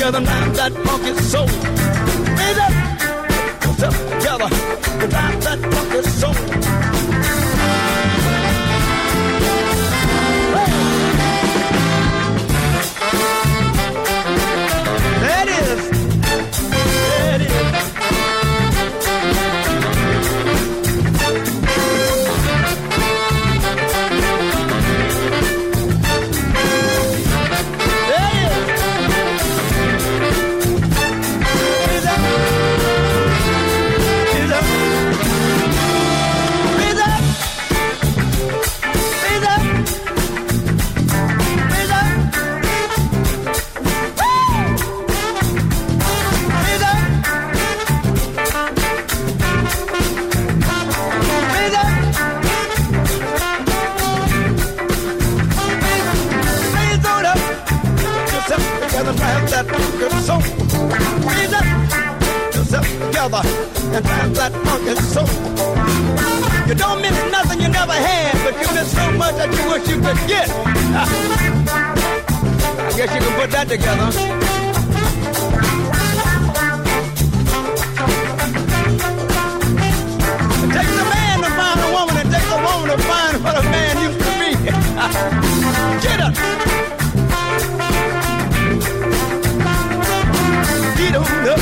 I: Together now, that funky soul. Raise up. yourself together and drive that funky soul. There it is. There it is. And have that funky soul. You don't miss nothing you never had, but you miss so much that you wish you could get. I guess you can put that together. It takes a man to find a woman, it takes a woman to find what a man used to be. Get up. Get on up.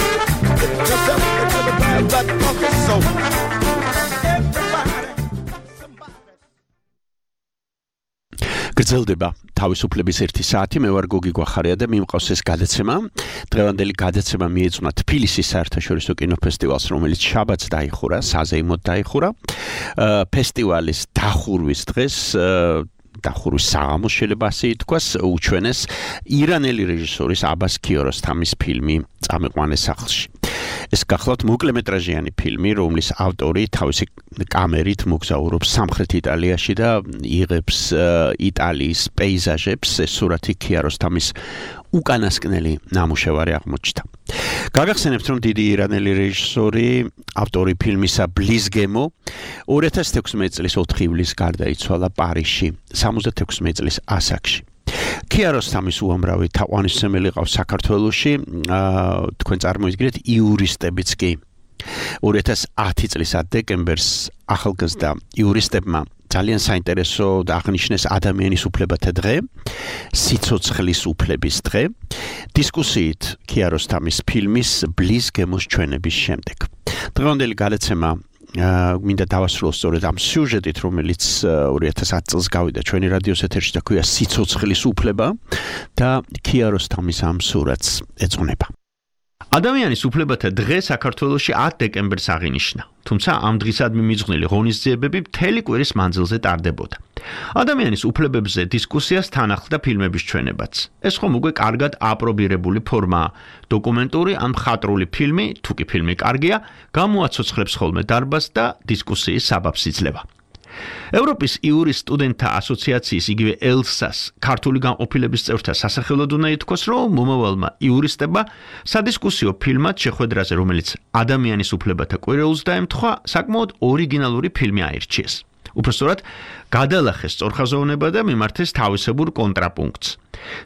I: That funky soul.
D: გრძელდება თავისუფლების ერთი საათი, მე ვარ გოგი გვახარია და მიმყავს ეს გადაცემა. დღევანდელი გადაცემა მიეძღვნა თბილისის საერთაშორისო კინოფესტივალს, რომელიც შაბათს დაიხურა, საზეიმოდ დაიხურა. ფესტივალის დახურვის დღეს დახურვის საღამოს შეიძლება ასე ითქვას, უჩვენეს ირანელი რეჟისორის აბას ქიაროსთამის ფილმი წამიყვანეს სახლში. ეს გახლავთ მოკლემეტრაჟიანი ფილმი, რომლის ავტორი თავისი კამერით მოგზაურობს სამხრეთ იტალიაში და იღებს იტალიის პეიზაჟებს. ეს სურათი ქიაროსთამის უკანასკნელი ნამუშევარი აღმოჩნდა. გაგახსენებთ, რომ დიდი ირანელი რეჟისორი, ავტორი ფილმისა ბლის გემო ორი ათას თექვსმეტი წლის ოთხი ივლისს გარდაიცვალა პარიზში, სამოცდათექვსმეტი წლის ასაკში. ქიაროსთამის უამრავი თაყვანისმცემელი ყავს საქართველოში, თქვენ წარმოიდგინეთ იურისტებიც კი. ორი ათას ათი წლის დეკემბერს ახალგაზრდა იურისტებმა ძალიან საინტერესო და აღნიშნეს ადამიანის უფლებათა დღე, სიცოცხლის უფლების დღე, დისკუსიით ქიაროსთამის ფილმის ბლის გემოს ჩვენების შემდეგ. დღევანდელი გადაცემა მინდა დავასრულო სწორედ ამ სიუჟეტით, რომელიც ორი ათას ათი წელს გავიდა ჩვენი რადიოს ეთერში და ქვია სიცოცხლის უფლება და ქიაროსთამის ამ სურათს ეძღვნება. ადამიანის უფლებათა დღე საქართველოში ათ დეკემბერს აღინიშნა, თუმცა ამ დღისადმი მიძღვნილი ღონისძიებები მთელი კვირის მანძილზე ტარდებოდა. ადამიანის უფლებებზე დისკუსიას თან ახლდა ფილმების ჩვენებაც. ეს ხომ უკვე კარგად აპრობირებული ფორმაა. დოკუმენტური ან მხატვრული ფილმი, თუ კი ფილმი კარგია, გამოაცოცხლებს ხოლმე დარბაზს და დისკუსიის საბაბს იძლევა. ევროპის იურის სტუდენტთა ასოციაციის, იგივე ელსას, ქართული განყოფილების წევრთა სასახელოდ უნდა ითქვას, რომ მომავალმა იურისტებმა სადისკუსიო ფილმად შეხვედრაზე, რომელიც ადამიანის უფლებათა კვირეულს დაემთხვა, საკმაოდ ორიგინალური ფილმი აირჩიეს. უпростоრად გადალახეს სწორხაზოვნება და მიმართეს თავისებურ კონტრაპუნქტს.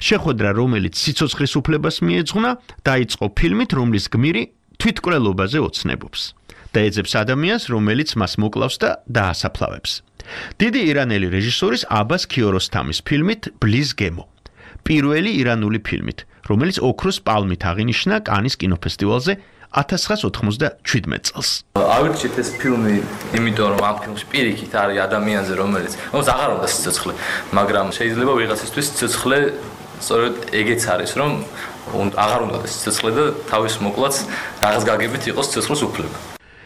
D: შეხვედრა, რომელიც სიცოცხლის უფლებას მიეძღვნა, დაიწყო ფილმით, რომლის გმირი თვითკვლელობაზე ოცნებობს და ეძებს ადამიანს, რომელიც მას მოკლავს და დაასაფლავებს. დიდი ირანელი რეჟისორის აბას ქიაროსთამის ფილმით ბლის გემო. პირველი ირანული ფილმით, რომელიც ოქროს პალმით აღინიშნა კანის კინოფესტივალზე ათას ცხრაას ოთხმოცდაშვიდმეტ წელს.
J: ავირჩიეთ ეს ფილმი, იმიტომ რომ ამ ფილმში პირიქით არის ადამიანზე, რომელიც რომელიც აღარ უნდა სიცოცხლე, მაგრამ შეიძლება ვიღაცისთვის სიცოცხლე სწორედ ეგეც არის, რომ აღარ უნდა სიცოცხლე და თავის მოკლაც რაღაც გაგებით იყოს სიცოცხლის უფლება.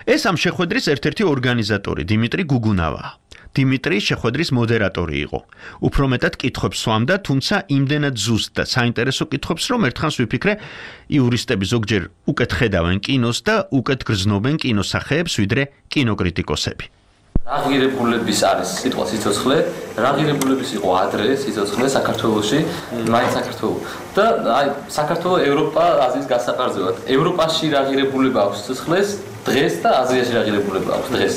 D: ეს ამ შეხვედრის ერთ-ერთი ორგანიზატორი დიმიტრი გუგუნავაა. დიმიტრი შეხვედრის მოდერატორი იყო. უფრო მეტად კითხვებს სვამდა, თუმცა იმდენად ზუსტ და საინტერესო კითხვებს, რომ ერთხანს ვიფიქრე, იურისტები ზოგჯერ უკეთ ხედავენ კინოს და უკეთ გრძნობენ კინოსახეებს, ვიდრე კინოკრიტიკოსები.
J: რა ღირებულების არის სიტყვა სიცოცხლე, რა ღირებულების იყო ადრე სიცოცხლე საქართველოში, მაინც საქართველოს. და აი საქართველოს ევროპა აზიის გასაყარზევად. ევროპაში რა ღირებულება აქვს სიცოცხლეს დღეს და აზიაში რა ღირებულება აქვს დღეს.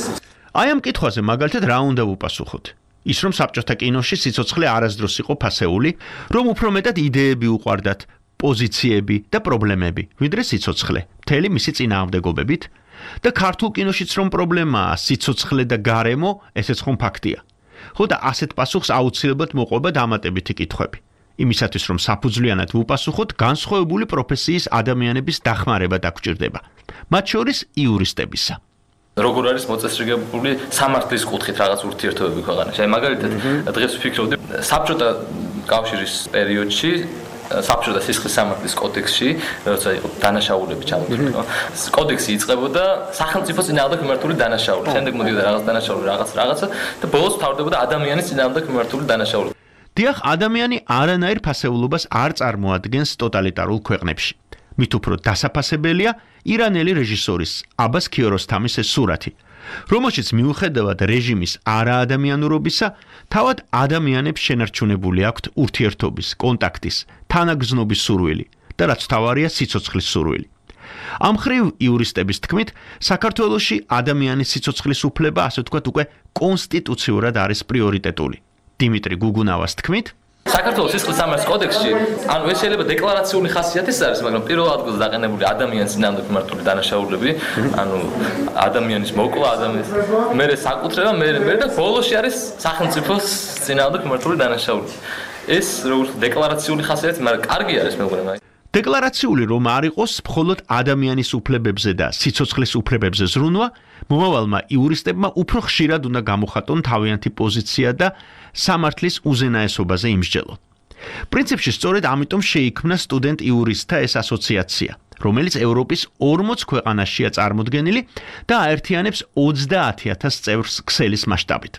D: აი ამ კითხვაზე მაგალითად რა უნდა ვუპასუხოთ? ის რომ საბჭოთა კინოში სიცოცხლე არასდროს იყო ფასეული, რომ უფრო მეტად იდეები უყვარდათ, პოზიციები და პრობლემები, ვიდრე სიცოცხლე, მთელი მისი წინააღმდეგობებით, და ქართულ კინოშიც რომ პრობლემაა სიცოცხლე და გარემო, ესეც ხომ ფაქტია. ხო და ასეთ პასუხს აუცილებლად მოყვება დამატებითი კითხვები. იმისათვის რომ საფუძვლიანად ვუპასუხოთ, განსხვავებული პროფესიის ადამიანების დახმარება დაგჭირდება. მათ შორის იურისტებისა.
J: როგორ არის მოწესრიგებული სამართლის კუთხით რაღაც ურთიერთობები ქვეყანაში. აი მაგალითად, დღეს ვფიქრობდი საბჭოთა კავშირის პერიოდში საბჭოთა სისხლის სამართლის კოდექსში, როცა იყო დანაშაულები ჩამოთვლილი, კოდექსი იწყებოდა სახელმწიფოს წინააღმდეგ მიმართული დანაშაული. შემდეგ მოდიოდა რაღაც დანაშაული, რაღაც რაღაცა და ბოლოს თავდებოდა ადამიანის წინააღმდეგ მიმართული დანაშაული.
D: დიახ, ადამიანი არანაირ ფასეულობას არ წარმოადგენს ტოტალიტარულ ქვეყნებში. მით უფრო დასაფასებელია ირანელი რეჟისორის აბას ქიოროსთამის ეს სურათი, რომელშიც მიუხედავად რეჟიმის არაადამიანურობისა, თავად ადამიანებს შენარჩუნებული აქვთ ურთიერთობის, კონტაქტის, თანაგზნობის სურვილი და რაც თავარია სიცოცხლის სურვილი. ამ მხრივ იურისტების თქმით, საქართველოში ადამიანის სიცოცხლის უფლება, ასე ვთქვათ, უკვე კონსტიტუციურად არის პრიორიტეტული. დიმიტრი გუგუნავას თქმით,
J: საქართველოს სისხლის სამართლის კოდექსში, ანუ ეს შეიძლება დეკლარაციული ხასიათის არის, მაგრამ პირველ ადგილზე დაყენებული ადამიანის წინააღმდეგ მიმართული დანაშაულები, ანუ ადამიანის მოკლა, ადამიანის მერე საკუთრება, მერე მერე და ბოლოში არის სახელმწიფოს წინააღმდეგ მიმართული დანაშაულები. ეს როგორც დეკლარაციული ხასიათი, მაგრამ კარგი არის მეუბნება.
D: დეკლარაციული რომ არ იყოს მხოლოდ ადამიანის უფლებებზე და სიცოცხლის უფლებებზე ზრუნვა, მომავალმა იურისტებმა უფრო ხშირად უნდა გამოხატონ თავიანთი პოზიცია და სამართლის უზენაესობაზე იმსჯელონ. პრინციპში სწორედ ამიტომ შეიქმნა სტუდენტ იურისტთა ეს ასოციაცია, რომელიც ევროპის ორმოც ქვეყანაშია წარმოდგენილი და აერთიანებს ოცდაათი ათას წევრს ქსელის მასშტაბით.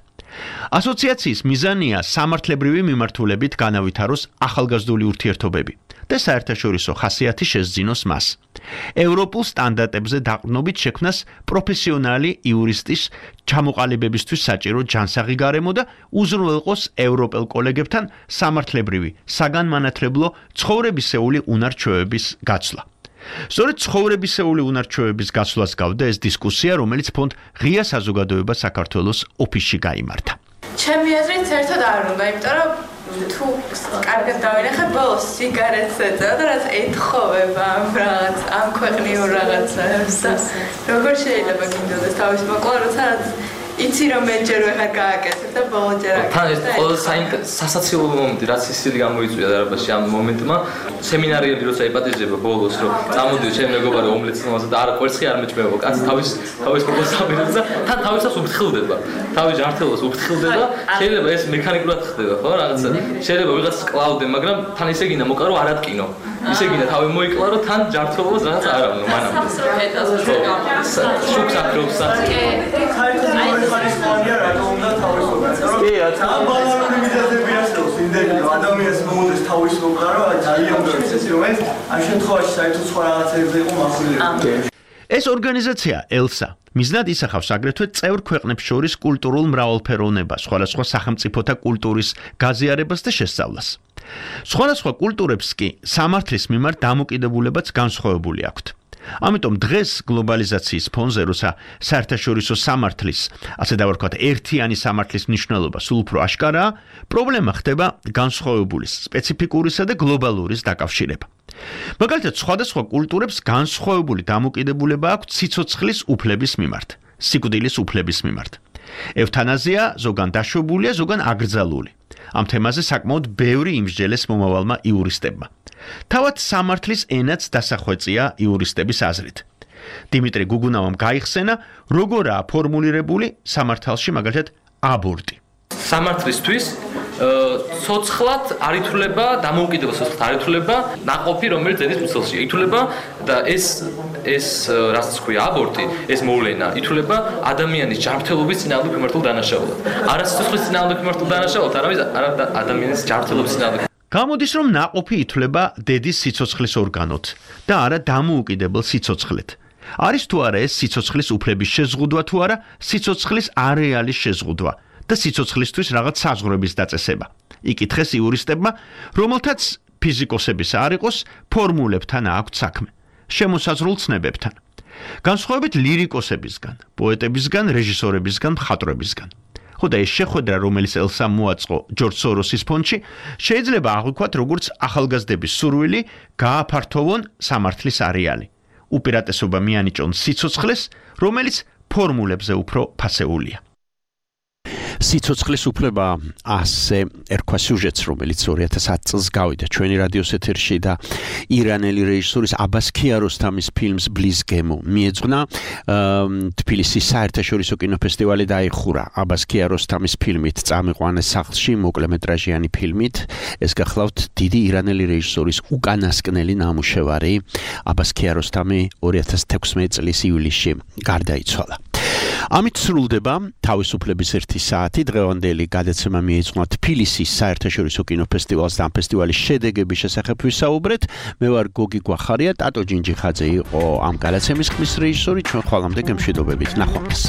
D: ასოციაციის მიზანია სამართლებრივი მიმართულებით განავითაროს ახალგაზრდული ურთიერთობები და საერთაშორისო ხასიათი შესძინოს მას. ევროპულ სტანდარტებზე დაყრდნობით შექმნას პროფესიონალი იურისტის ჩამოყალიბებისთვის საჭირო ჯანსაღი გარემო და უზრუნველყოს ევროპელ კოლეგებთან სამართლებრივი, საგანმანათლებლო, ცხოვრებისეული უნარჩვევების გაცვლა. სწორედ ცხოვრებისეული უნარჩვევების გაცვლას გავდა ეს დისკუსია, რომელიც ფონდ ღია საზოგადოება საქართველოს ოფისში გაიმართა.
K: ჩემი აზრით საერთოდ არ უნდა, იმიტომ რომ თუ კარგად დავინახე, ბოლოს სიგარეტს ეწევა და რაც ეთხოვება ამ რაღაც, ამ ქვეყნიურ რაღაცებს და როგორ შეიძლება გინდოდეს თავის მოკლა, როცა იცი რომ მეჯერ ვეღარ გააკეთებ და ბოლოჯერ აკეთებ.
J: თან ეს ყველა სასაცილო მომენტი, რაც ისილი გამოიწვია დარბაზში ამ მომენტმა, სემინარიები როცა იპატიჟება ბოლოს, რომ წამოდიო ჩემი მეგობარი ომლეტს მომავალ და არა კვერცხი არ მეჭმევა, კაცი თავის თავის პროპოზიციას და თან თავისას უფრთხილდება. თავის ჯანმრთელობას უფრთხილდება, შეიძლება ეს მექანიკურად ხდება, ხო, რაღაცა. შეიძლება ვიღაც კლავდე, მაგრამ თან ისე გინდა მოკარო არ ატკინო. ისე გინდა თავი მოიკლარო, თან ჯანმრთელობას რაღაც არ ავნო მანამდე. შუქს აკრავს საწ.
L: ხალხია რატომ უნდა თავისუფლება? კი, ამ ბალანსური მიზეზები არსებობს, იმდენი რომ ადამიანს მომოდეს თავისუფლება, რა ძალიან უძვირს ეს რომელიც ამ შემთხვევაში საერთოდ სხვა რაღაცებზე იყო მახვილებული.
D: ეს ორგანიზაცია ელსა მიზნად ისახავს აგრეთვე წევრ ქვეყნებს შორის კულტურულ მრავალფეროვნებას, სხვადასხვა სახელმწიფოთა კულტურის გაზიარებას და შესწავლას. სხვადასხვა კულტურებს კი სამართლის მიმართ დამოკიდებულებაც განსხვავებული აქვთ. ამიტომ დღეს გლობალიზაციის ფონზე, როცა საერთაშორისო სამართლის, ასე დავარქვათ, ერთიანი სამართლის მნიშვნელობა სულ უფრო აშკარაა, პრობლემა ხდება განსხვავებულის, სპეციფიკურისა და გლობალურის დაკავშირება. მაგალითად, სხვადასხვა კულტურებს განსხვავებული დამოკიდებულება აქვთ სიცოცხლის უფლების მიმართ, სიკვდილის უფლების მიმართ. ევთანაზია ზოგან დაშვებულია, ზოგან აკრძალული. ამ თემაზე საკმაოდ ბევრი იმსჯელეს მომავალმა იურისტებმა. თავად სამართლის ენაც დასახვეწია იურისტების აზრით. დიმიტრი გუგუნავამ გაიხსენა, როგორაა ფორმულირებული სამართალში მაგალითად აბორტი.
J: სამართლისთვის ცოცხლად არ ითვლება დამოუკიდებელ ცოცხლად არ ითვლება ნაყოფი, რომელიც დედის მუცელში ითვლება და ეს ეს რასაც ქვია აბორტი, ეს მოვლენა ითვლება ადამიანის ჯანმრთელობის წინააღმდეგ მიმართულ დანაშაულად. არა სიცოცხლის წინააღმდეგ მიმართულ დანაშაულად, არამედ ადამიანის ჯანმრთელობის წინააღმდეგ.
D: გამოდის, რომ ნაყოფი ითვლება დედის სიცოცხლის ორგანოთ და არა დამოუკიდებელ სიცოცხლეთ. არის თუ არა ეს სიცოცხლის უფლების შეზღუდვა თუ არა სიცოცხლის არეალის შეზღუდვა და სიცოცხლისთვის რაღაც საზღვრების დაწესება. იკითხეს იურისტებმა, რომელთაც ფიზიკოსების არ იყოს ფორმულებთან აქვთ საქმე, შემოსაზღვრულ ცნებებთან. განსხვავებით ლირიკოსებისგან, პოეტებისგან, რეჟისორებისგან, მხატვრებისგან. ხო და ეს შეხვედრა, რომელიც ელსამ მოაწყო ჯორჯ სოროსის ფონდში, შეიძლება აღვიქვათ როგორც ახალგაზრდების სურვილი გააფართოვონ სამართლის არეალი. უპირატესობა მიანიჭონ სიცოცხლეს, რომელიც ფორმულებზე უფრო ფასეულია. სიცოცხლის უფლება ასე ერქვა სიუჟეტს, რომელიც ორი ათას ათი წელს გავიდა ჩვენი რადიოს ეთერში და ირანელი რეჟისორის აბას ქიაროსთამის ფილმს ბლის გემო მიეძღვნა. თბილისის საერთაშორისო კინოფესტივალი დაიხურა აბას ქიაროსთამის ფილმით წამიყვანეს სახლში მოკლემეტრაჟიანი ფილმით. ეს გახლავთ დიდი ირანელი რეჟისორის უკანასკნელი ნამუშევარი. აბას ქიაროსთამი ორი ათას თექვსმეტი წლის ივლისში გარდაიცვალა. ამით სრულდება თავისუფლების ერთი საათი. დღევანდელი გადაცემა მიეძღვნა თბილისის საერთაშორისო კინოფესტივალს და ამ ფესტივალის შედეგების შესახებ ვისაუბრეთ. მე ვარ გოგი გვახარია, ტატო ჯინჯიხაძე იყო ამ გადაცემის ხმის რეჟისორი. ჩვენ ხვალამდე გემშვიდობებით, ნახვამდის.